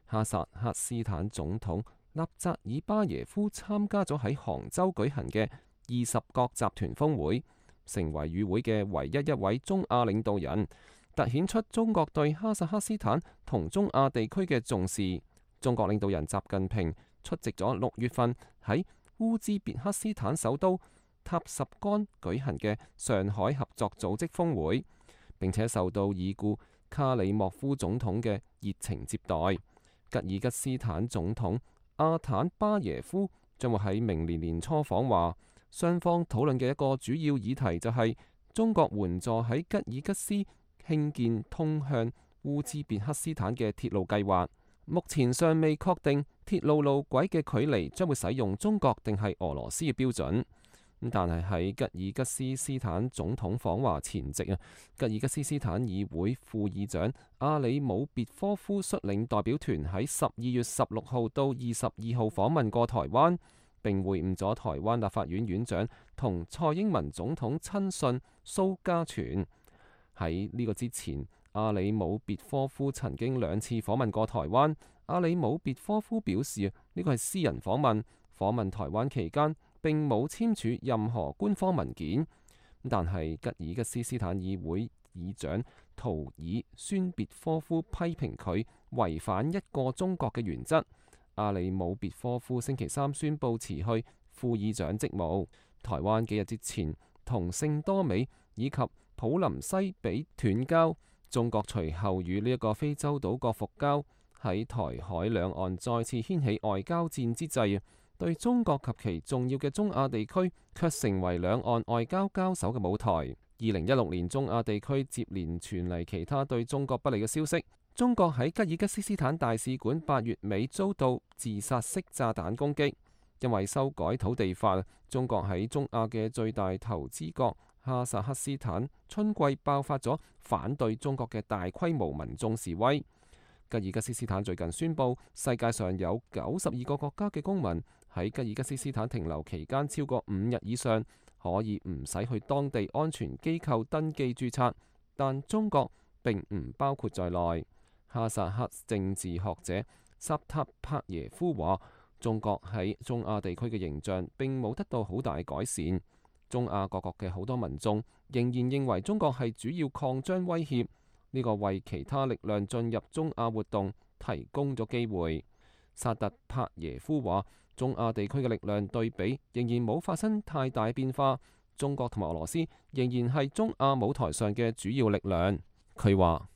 哈薩克斯坦總統納扎爾巴耶夫參加咗喺杭州舉行嘅二十國集團峰會，成為與會嘅唯一一位中亞領導人，凸顯出中國對哈薩克斯坦同中亞地區嘅重視。中國領導人習近平出席咗六月份喺烏茲別克斯坦首都塔什干舉行嘅上海合作組織峰會，並且受到已故卡里莫夫總統嘅熱情接待。吉爾吉斯坦總統阿坦巴耶夫將會喺明年年初訪華，雙方討論嘅一個主要議題就係中國援助喺吉爾吉斯興建通向烏茲別克斯坦嘅鐵路計劃。目前尚未確定鐵路路軌嘅距離將會使用中國定係俄羅斯嘅標準。但係喺吉爾吉斯斯坦總統訪華前夕啊，吉爾吉斯斯坦議會副議長阿里姆別科夫率領代表團喺十二月十六號到二十二號訪問過台灣，並會晤咗台灣立法院院長同蔡英文總統親信蘇家全。喺呢個之前，阿里姆別科夫曾經兩次訪問過台灣。阿里姆別科夫表示呢個係私人訪問，訪問台灣期間並冇簽署任何官方文件。但係吉爾吉斯斯坦議會議長圖爾宣別科夫批評佢違反一個中國嘅原則。阿里姆別科夫星期三宣布辭去副議長職務。台灣幾日之前同聖多美以及普林西比斷交，中國隨後與呢一個非洲島國復交。喺台海兩岸再次掀起外交戰之際，對中國及其重要嘅中亞地區卻成為兩岸外交交手嘅舞台。二零一六年中亞地區接連傳嚟其他對中國不利嘅消息。中國喺吉爾吉斯斯坦大使館八月尾遭到自殺式炸彈攻擊。因為修改土地法，中國喺中亞嘅最大投資國哈薩克斯坦春季爆發咗反對中國嘅大規模民眾示威。吉爾吉斯斯坦最近宣布，世界上有九十二個國家嘅公民喺吉爾吉斯斯坦停留期間超過五日以上，可以唔使去當地安全機構登記註冊，但中國並唔包括在內。哈薩克政治學者薩塔帕耶夫話，中國喺中亞地區嘅形象並冇得到好大改善。中亞各國嘅好多民眾仍然認為中國係主要擴張威脅。呢個為其他力量進入中亞活動提供咗機會。薩特帕耶夫話：中亞地區嘅力量對比仍然冇發生太大變化，中國同埋俄羅斯仍然係中亞舞台上嘅主要力量。佢話：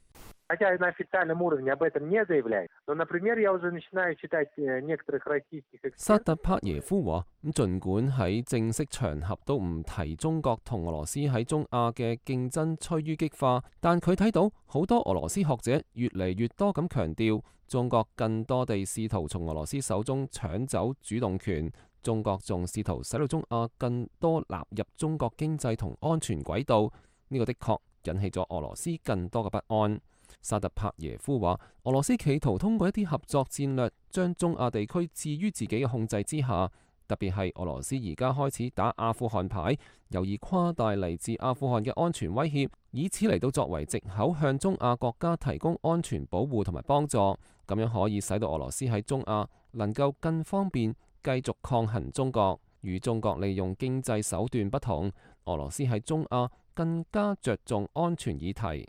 薩特帕耶夫話，咁儘管喺正式場合都唔提中國同俄羅斯喺中亞嘅競爭趨於激化，但佢睇到好多俄羅斯學者越嚟越多咁強調，中國更多地試圖從俄羅斯手中搶走主動權，中國仲試圖使到中亞更多納入中國經濟同安全軌道，呢個的確引起咗俄羅斯更多嘅不安。薩特帕耶夫話：俄羅斯企圖通過一啲合作戰略，將中亞地區置於自己嘅控制之下。特別係俄羅斯而家開始打阿富汗牌，由而誇大嚟自阿富汗嘅安全威脅，以此嚟到作為藉口向中亞國家提供安全保護同埋幫助。咁樣可以使到俄羅斯喺中亞能夠更方便繼續抗衡中國。與中國利用經濟手段不同，俄羅斯喺中亞更加着重安全議題。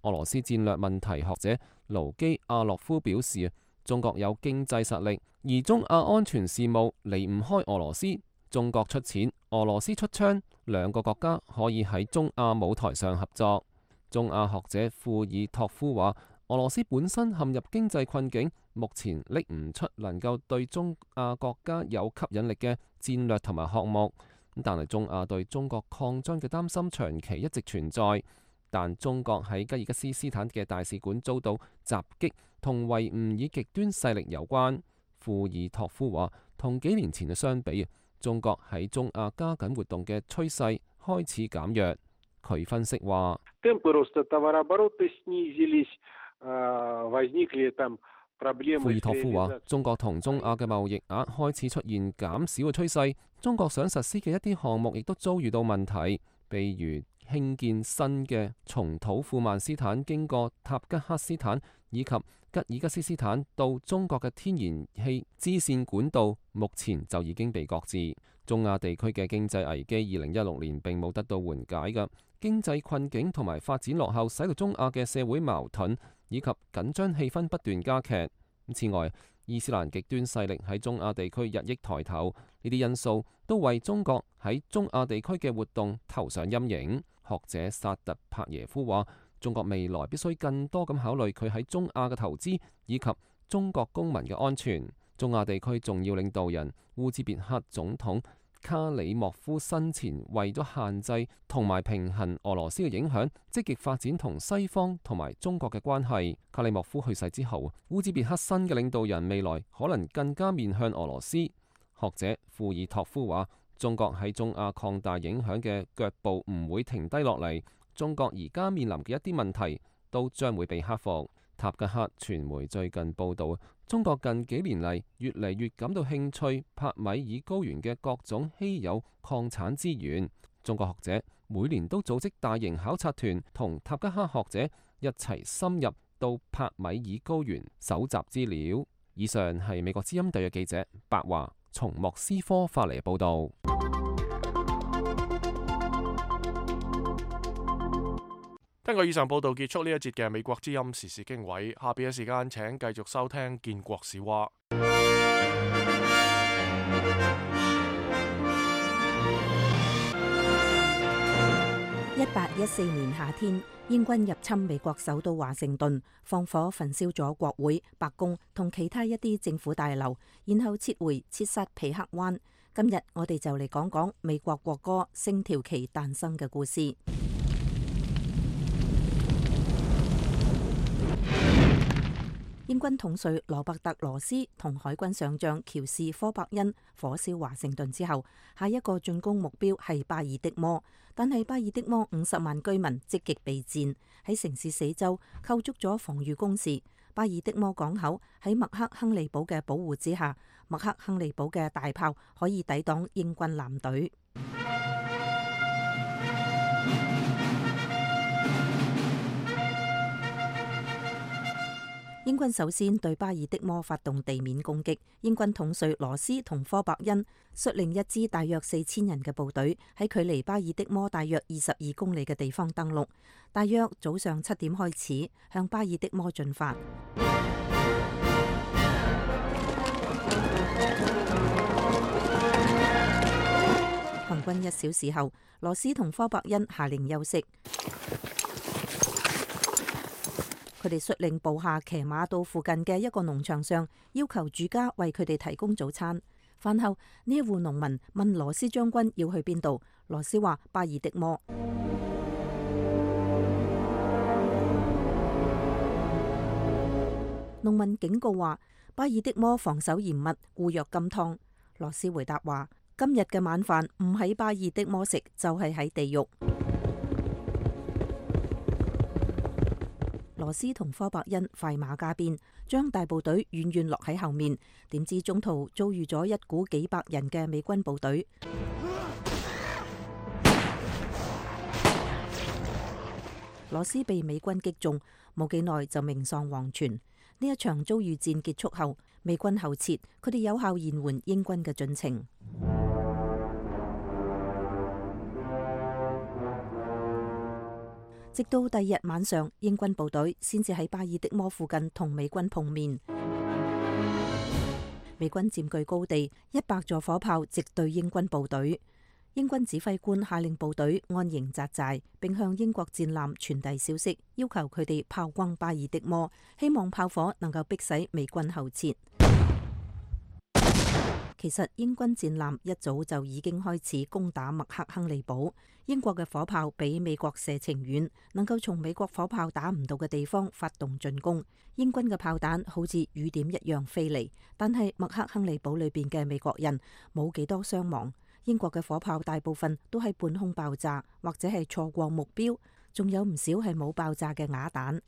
俄羅斯戰略問題學者盧基亞洛夫表示，中國有經濟實力，而中亞安全事務離唔開俄羅斯。中國出錢，俄羅斯出槍，兩個國家可以喺中亞舞台上合作。中亞學者庫爾托夫話，俄羅斯本身陷入經濟困境，目前拎唔出能夠對中亞國家有吸引力嘅戰略同埋項目。但係中亞對中國擴張嘅擔心長期一直存在。但中國喺吉爾吉斯斯坦嘅大使館遭到襲擊，同維吾爾極端勢力有關。庫爾托夫話，同幾年前嘅相比，中國喺中亞加緊活動嘅趨勢開始減弱。佢分析話，庫爾托夫話，中國同中亞嘅貿易額開始出現減少嘅趨勢，中國想實施嘅一啲項目亦都遭遇到問題，譬如興建新嘅從土庫曼斯坦經過塔吉克斯坦以及吉爾吉斯斯坦到中國嘅天然氣支線管道，目前就已經被擱置。中亞地區嘅經濟危機二零一六年並冇得到緩解嘅，經濟困境同埋發展落後，使到中亞嘅社會矛盾以及緊張氣氛不斷加劇。此外，伊斯蘭極端勢力喺中亞地區日益抬頭，呢啲因素都為中國喺中亞地區嘅活動投上陰影。學者薩特帕耶夫話，中國未來必須更多咁考慮佢喺中亞嘅投資以及中國公民嘅安全。中亞地區重要領導人烏茲別克總統卡里莫夫生前為咗限制同埋平衡俄羅斯嘅影響，積極發展同西方同埋中國嘅關係。卡里莫夫去世之後，烏茲別克新嘅領導人未來可能更加面向俄羅斯。學者庫爾托夫話，中國喺中亞擴大影響嘅腳步唔會停低落嚟，中國而家面臨嘅一啲問題都將會被克服。塔吉克傳媒最近報導，中國近幾年嚟越嚟越感到興趣帕米爾高原嘅各種稀有礦產資源。中國學者每年都組織大型考察團，同塔吉克學者一齊深入到帕米爾高原搜集資料。以上係美國之音特約記者白華從莫斯科發嚟報導。根據以上報導結束呢一節嘅美國之音時事經緯，下邊嘅時間請繼續收聽建國史話。一八一四年夏天，英軍入侵美國首都華盛頓，放火焚燒咗國會、白宮同其他一啲政府大樓，然後撤回切薩皮克灣。今日我哋就嚟講講美國國歌《星條旗》誕生嘅故事。英軍統帥羅伯特羅斯同海軍上將喬士科伯恩火燒華盛頓之後，下一個進攻目標係巴爾的摩，但係巴爾的摩五十萬居民積極備戰，喺城市四周構築咗防禦工事。巴爾的摩港口喺麥克亨利堡嘅保護之下，麥克亨利堡嘅大炮可以抵擋英軍艦隊。英軍首先對巴爾的摩發動地面攻擊，英軍統帥羅斯同科伯恩率領一支大約四千人嘅部隊喺距離巴爾的摩大約二十二公里嘅地方登陸，大約早上七點開始向巴爾的摩進發。行軍一小時後，羅斯同科伯恩下令休息。佢哋率領部下騎馬到附近嘅一個農場上，要求主家為佢哋提供早餐。飯後，呢一戶農民問羅斯將軍要去邊度，羅斯話巴爾的摩。農民警告話巴爾的摩防守嚴密，固若金湯。羅斯回答話：今日嘅晚飯唔喺巴爾的摩食，就係喺地獄。羅斯同科伯恩快馬加鞭，將大部隊遠遠落喺後面。點知中途遭遇咗一股幾百人嘅美軍部隊，羅斯被美軍擊中，冇幾耐就命喪黃泉。呢一場遭遇戰結束後，美軍後撤，佢哋有效延緩英軍嘅進程。直到第二日晚上，英軍部隊先至喺巴爾的摩附近同美軍碰面。美軍佔據高地，一百座火炮直對英軍部隊。英軍指揮官下令部隊安營紮寨，並向英國戰艦傳遞消息，要求佢哋炮轟巴爾的摩，希望炮火能夠迫使美軍後撤。其實英軍戰艦一早就已經開始攻打麥克亨利堡。英國嘅火炮比美國射程遠，能夠從美國火炮打唔到嘅地方發動進攻。英軍嘅炮彈好似雨點一樣飛嚟，但係麥克亨利堡裏邊嘅美國人冇幾多傷亡。英國嘅火炮大部分都係半空爆炸，或者係錯過目標，仲有唔少係冇爆炸嘅啞彈。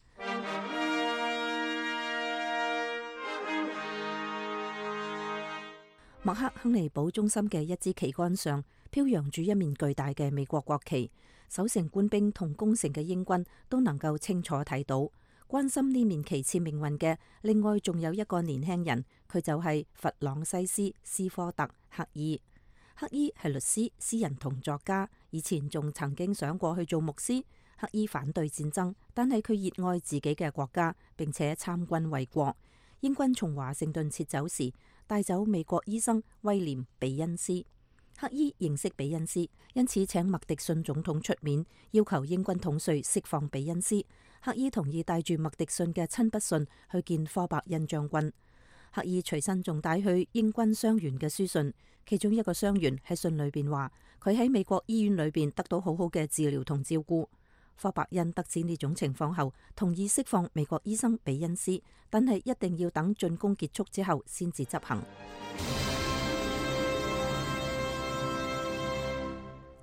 麥克亨利堡中心嘅一支旗杆上飄揚住一面巨大嘅美國國旗，守城官兵同攻城嘅英軍都能夠清楚睇到。關心呢面旗幟命運嘅，另外仲有一個年輕人，佢就係弗朗西斯斯科特克伊。克伊係律師、詩人同作家，以前仲曾經想過去做牧師。克伊反對戰爭，但係佢熱愛自己嘅國家，並且參軍衛國。英軍從華盛頓撤走時，帶走美國醫生威廉·比恩斯。克伊認識比恩斯，因此請麥迪遜總統出面，要求英軍統帥釋放比恩斯。克伊同意帶住麥迪遜嘅親筆信去見科伯恩將軍。克伊隨身仲帶去英軍傷員嘅書信，其中一個傷員喺信裏邊話，佢喺美國醫院裏邊得到好好嘅治療同照顧。科伯恩得知呢種情況後，同意釋放美國醫生比恩斯，但係一定要等進攻結束之後先至執行。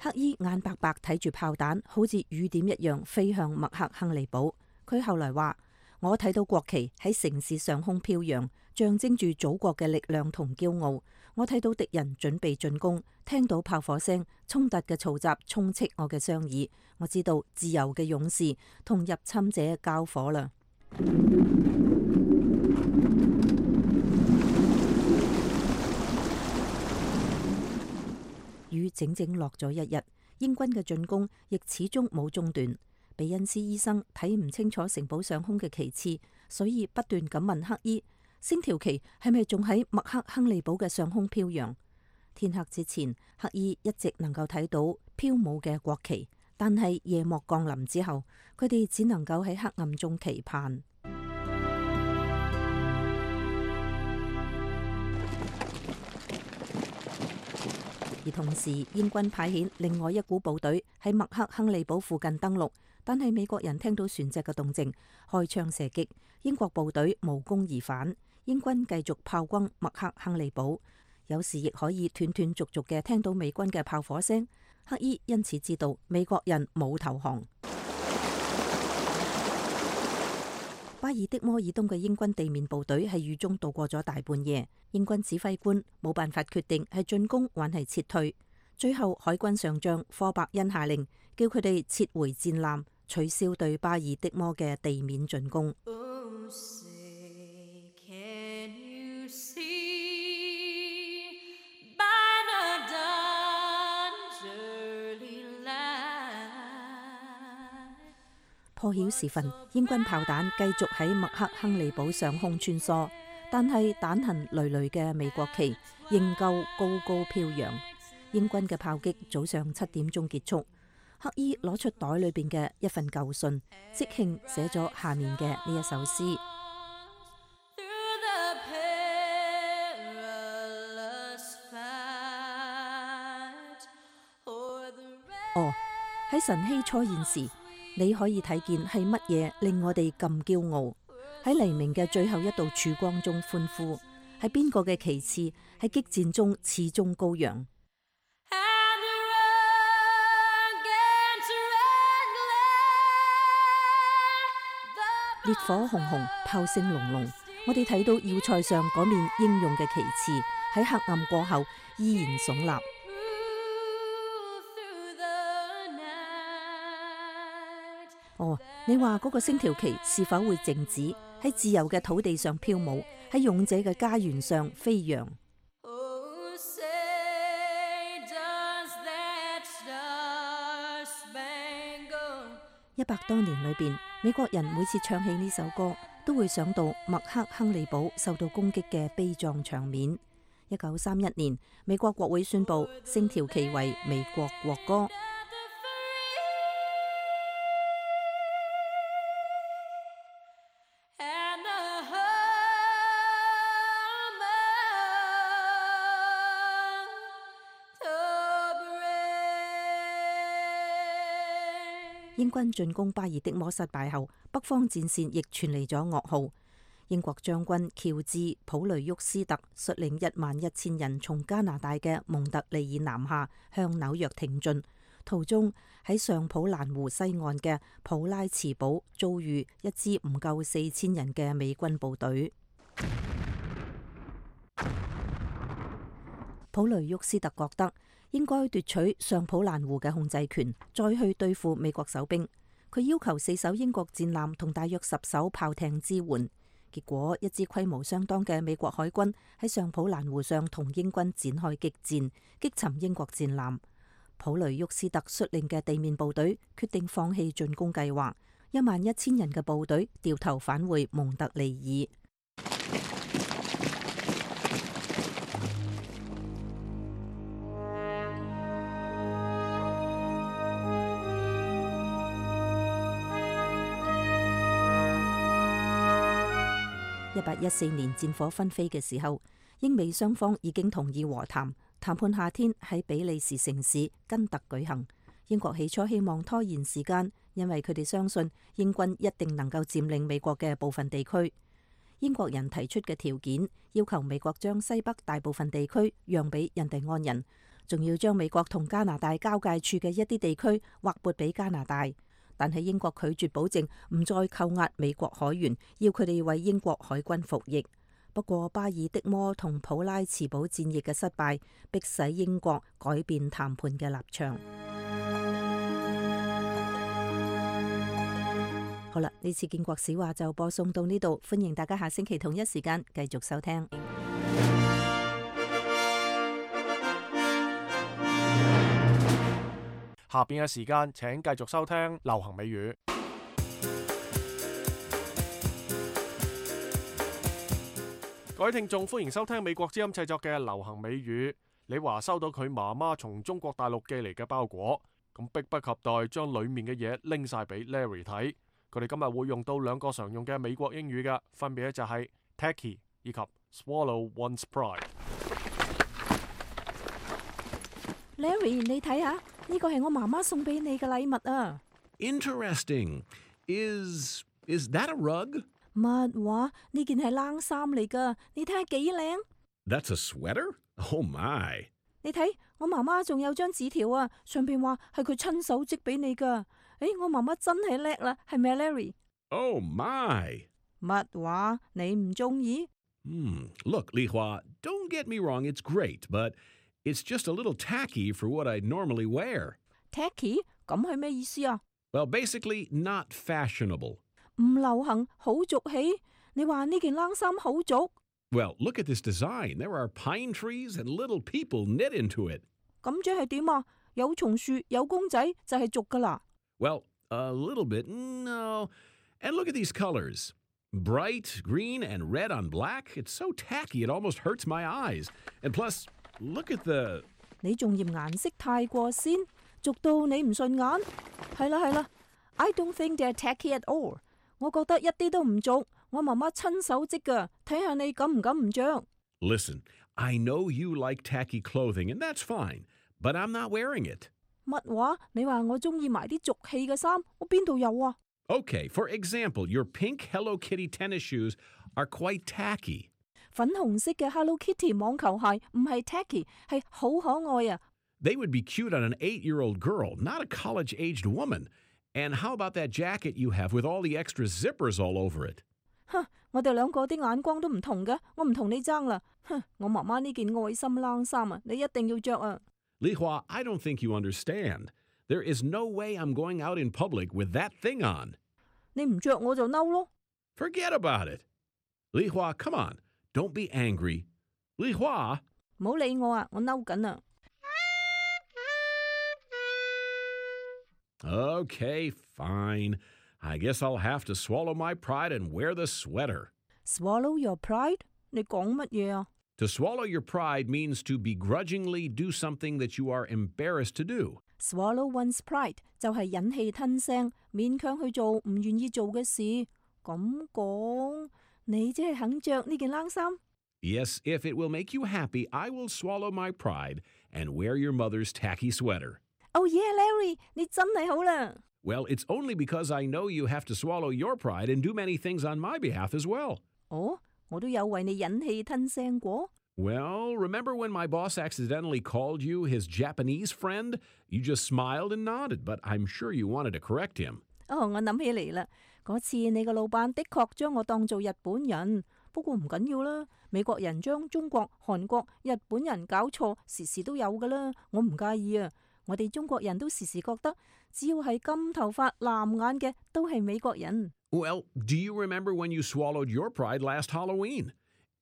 克伊眼白白睇住炮彈，好似雨點一樣飛向麥克亨利堡。佢後來話：我睇到國旗喺城市上空飄揚，象徵住祖國嘅力量同驕傲。我睇到敵人準備進攻，聽到炮火聲，衝突嘅嘈雜充斥我嘅雙耳。我知道自由嘅勇士同入侵者交火啦。雨整整落咗一日，英軍嘅進攻亦始終冇中斷。比恩斯醫生睇唔清楚城堡上空嘅旗幟，所以不斷咁問克伊：星條旗係咪仲喺麥克亨利堡嘅上空飄揚？天黑之前，克伊一直能夠睇到飄舞嘅國旗，但係夜幕降臨之後，佢哋只能夠喺黑暗中期盼。而同時，英軍派遣另外一股部隊喺麥克亨利堡附近登陸，但係美國人聽到船隻嘅動靜，開槍射擊，英國部隊無功而返。英軍繼續炮轟麥克亨利堡，有時亦可以斷斷續續嘅聽到美軍嘅炮火聲。克伊因此知道美國人冇投降。巴爾的摩以東嘅英軍地面部隊喺雨中度過咗大半夜，英軍指揮官冇辦法決定係進攻還係撤退。最後海軍上將科伯恩下令，叫佢哋撤回戰艦，取消對巴爾的摩嘅地面進攻。破曉時分，英軍炮彈繼續喺麥克亨利堡上空穿梭，但係彈痕累累嘅美國旗仍舊高高飄揚。英軍嘅炮擊早上七點鐘結束。黑衣攞出袋裏邊嘅一份舊信，即興寫咗下面嘅呢一首詩。哦，喺晨曦初現時，你可以睇見係乜嘢令我哋咁驕傲？喺黎明嘅最後一道曙光中歡呼，喺邊個嘅旗幟喺激戰中始終高揚？烈火紅紅，炮聲隆隆，我哋睇到要塞上嗰面英勇嘅旗幟喺黑暗過後依然聳立。哦，你話嗰個星條旗是否會靜止喺自由嘅土地上飄舞，喺勇者嘅家園上飛揚？一百多年裏邊，美國人每次唱起呢首歌，都會想到麥克亨利堡受到攻擊嘅悲壯場面。一九三一年，美國國會宣布星條旗為美國國歌。英軍進攻巴爾的摩失敗後，北方戰線亦傳嚟咗噩耗。英國將軍喬治·普雷沃斯特率領一萬一千人從加拿大嘅蒙特利爾南下，向紐約挺進。途中喺上普蘭湖西岸嘅普拉茨堡遭遇一支唔夠四千人嘅美軍部隊。普雷沃斯特覺得應該奪取上普蘭湖嘅控制權，再去對付美國守兵。佢要求四艘英國戰艦同大約十艘炮艇支援。結果，一支規模相當嘅美國海軍喺上普蘭湖上同英軍展開激戰，擊沉英國戰艦。普雷沃斯特率領嘅地面部隊決定放棄進攻計劃，一萬一千人嘅部隊掉頭返回蒙特利爾。一八一四年戰火紛飛嘅時候，英美雙方已經同意和談，談判夏天喺比利時城市根特舉行。英國起初希望拖延時間，因為佢哋相信英軍一定能夠佔領美國嘅部分地區。英國人提出嘅條件，要求美國將西北大部分地區讓俾印第安人，仲要將美國同加拿大交界處嘅一啲地區劃撥俾加拿大。但係英國拒絕保證唔再扣押美國海員，要佢哋為英國海軍服役。不過巴爾的摩同普拉茨堡戰役嘅失敗，迫使英國改變談判嘅立場。好啦，呢次建國史話就播送到呢度，歡迎大家下星期同一時間繼續收聽。下邊嘅時間請繼續收聽流行美語。各位聽眾，歡迎收聽美國之音製作嘅流行美語。你話收到佢媽媽從中國大陸寄嚟嘅包裹，咁迫不及待將裡面嘅嘢拎晒俾 Larry 睇。佢哋今日會用到兩個常用嘅美國英語嘅，分別咧就係 tacky 以及 swallow one's pride。Larry， 你睇下，呢個係我媽媽送俾你嘅禮物啊。Interesting. Is is that a rug? 乜話？呢件係冷衫嚟噶，你睇下幾靚。That's a sweater? Oh my！ 你睇，我媽媽仲有張紙條啊，上邊話係佢親手織俾你噶。誒，我媽媽真係叻啦，係咪 Larry？Oh my！ 乜話？你唔中意？Hmm. Look, Li Hua, don't get me wrong, it's great, but it's just a little tacky for what I normally wear. Tacky？ 咁係咩意思啊？ Well, basically not fashionable. 唔流行，好俗氣。你話呢件冷衫好俗？ Well, look at this design. There are pine trees and little people knit into it. 咁即係點啊？有松樹，有公仔，就係俗噶啦。Well, a little bit, no. And look at these colors. Bright green and red on black. It's so tacky it almost hurts my eyes. And plus, look at the 你仲嫌顏色太過鮮，俗到你唔順眼。係啦係啦 ，I don't think they're tacky at all。我覺得一啲都唔俗，我媽媽親手織㗎，睇下你敢唔敢唔着。Listen, I know you like tacky clothing, and that's fine, but I'm not wearing it. 乜話？你話我中意埋啲俗氣嘅衫，我邊度有啊？ Okay, for example, your pink Hello Kitty tennis shoes are quite tacky. 粉紅色嘅 Hello Kitty 網球鞋唔係 tacky， 係好可愛啊。They would be cute on an eight-year-old girl, not a college-aged woman. And how about that jacket you have with all the extra zippers all over it? 哼，我哋兩個啲眼光都唔同嘅，我唔同你爭啦。哼，我媽媽呢件愛心冷衫啊，你一定要着啊。Li Hua, I don't think you understand. There is no way I'm going out in public with that thing on. 你唔着我就嬲咯。Forget about it. Li Hua, come on. Don't be angry. Li Hua. 唔好理我啊，我嬲緊啊。Okay, fine. I guess I'll have to swallow my pride and wear the sweater. Swallow your pride? 你講乜嘢啊？ To swallow your pride means to begrudgingly do something that you are embarrassed to do. Swallow one's pride 就係忍氣吞聲，勉強去做唔願意做嘅事。咁講，你即係肯着呢件冷衫？ Yes, if it will make you happy, I will swallow my pride and wear your mother's tacky sweater. Oh yeah, Larry, 你真係好啦。Well, it's only because I know you have to swallow your pride and do many things on my behalf as well. 哦，我都有為你忍氣吞聲過。Well, remember when my boss accidentally called you his Japanese friend? You just smiled and nodded, but I'm sure you wanted to correct him. 哦，我諗起嚟啦，嗰次你個老闆的確將我當做日本人，不過唔緊要啦。美國人將中國、韓國、日本人搞錯，時時都有噶啦，我唔介意啊。我哋中國人都時時覺得，只要係金頭髮、藍眼嘅，都係美國人。Well, do you remember when you swallowed your pride last Halloween?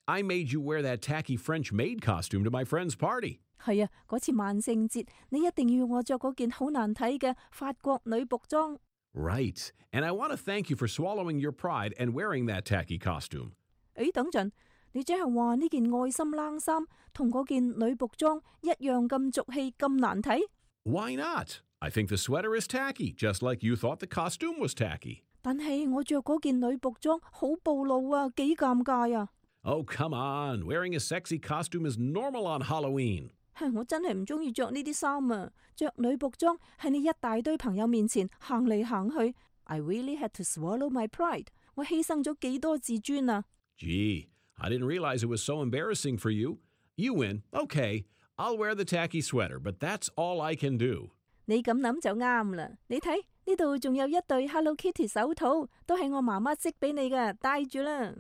I made you wear that tacky French maid costume to my friend's party. 係啊，嗰次萬聖節，你一定要我着嗰件好難睇嘅法國女僕裝。Right, and I want to thank you for swallowing your pride and wearing that tacky costume. 誒，等陣，你即係話呢件愛心冷衫同嗰件女僕裝一樣咁俗氣、咁難睇？ Why not? I think the sweater is tacky, just like you thought the costume was tacky. 但係我着嗰件女僕裝好暴露啊，幾尷尬啊！ Oh, come on. Wearing a sexy costume is normal on Halloween. 我真係唔中意着呢啲衫啊！着女僕裝喺你一大堆朋友面前行嚟行去 ，I really had to swallow my pride。我犧牲咗幾多自尊啊 Gee, I didn't realize it was so embarrassing for you. You win. Okay, I'll wear the tacky sweater, but that's all I can do. 你咁諗就啱啦。你睇呢度仲有一對 Hello Kitty 手套，都係我媽媽織俾你嘅，戴住啦。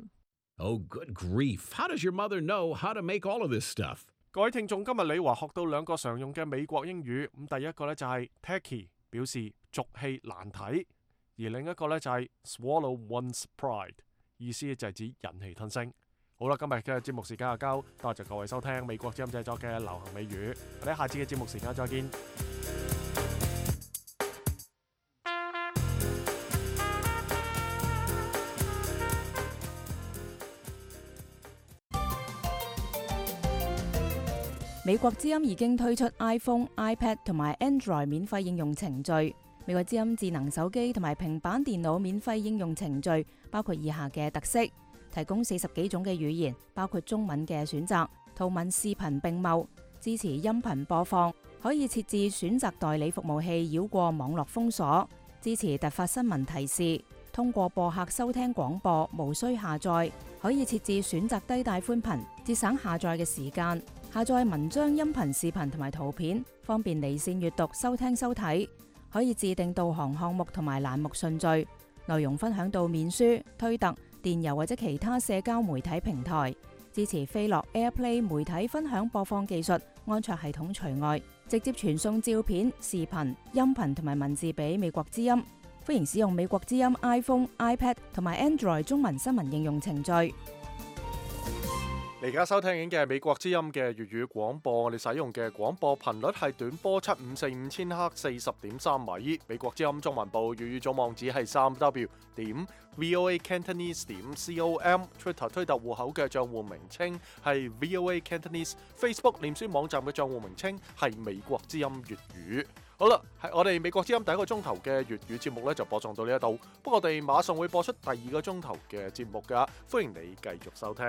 Oh, good grief. How does your mother know how to make all of this stuff? 各位聽眾，今日李華學到兩個常用嘅美國英語。咁第一個呢就係 tacky， 表示俗氣難睇；而另一個呢就係 swallow one's pride， 意思就係指忍氣吞聲。好啦，今日嘅節目時間就夠，多謝各位收聽美國之音製作嘅流行美語。我哋下次嘅節目時間再見。美國之音已經推出 iPhone、iPad 同埋 Android 免費應用程序。美國之音智能手機同埋平板電腦免費應用程序包括以下嘅特色：提供四十幾種嘅語言，包括中文嘅選擇，圖文視頻並茂，支持音頻播放，可以設置選擇代理服務器繞過網絡封鎖，支持突發新聞提示，通過播客收聽廣播，無需下載，可以設置選擇低帶寬頻，節省下載嘅時間。下載文章、音頻、視頻同埋圖片，方便離線閱讀、收聽收睇。可以自定導航項目同埋欄目順序，內容分享到面書、推特、電郵或者其他社交媒體平台。支持飛樂 AirPlay 媒體分享播放技術，安卓系統除外。直接傳送照片、視頻、音頻同埋文字俾美國之音。歡迎使用美國之音 iPhone、iPad 同埋 Android 中文新聞應用程序。你而家收聽緊嘅係美國之音嘅粵語廣播，我哋使用嘅廣播頻率係短波七五四五千赫四十點三米。美國之音中文部粵語總網址係三 w 點 voa cantonese 點 com。Twitter 推特戶口嘅賬戶名稱係 voa cantonese。Facebook 臉書網站嘅賬戶名稱係美國之音粵語。好啦，係我哋美國之音第一個鐘頭嘅粵語節目咧就播送到呢一度，不過我哋馬上會播出第二個鐘頭嘅節目噶，歡迎你繼續收聽。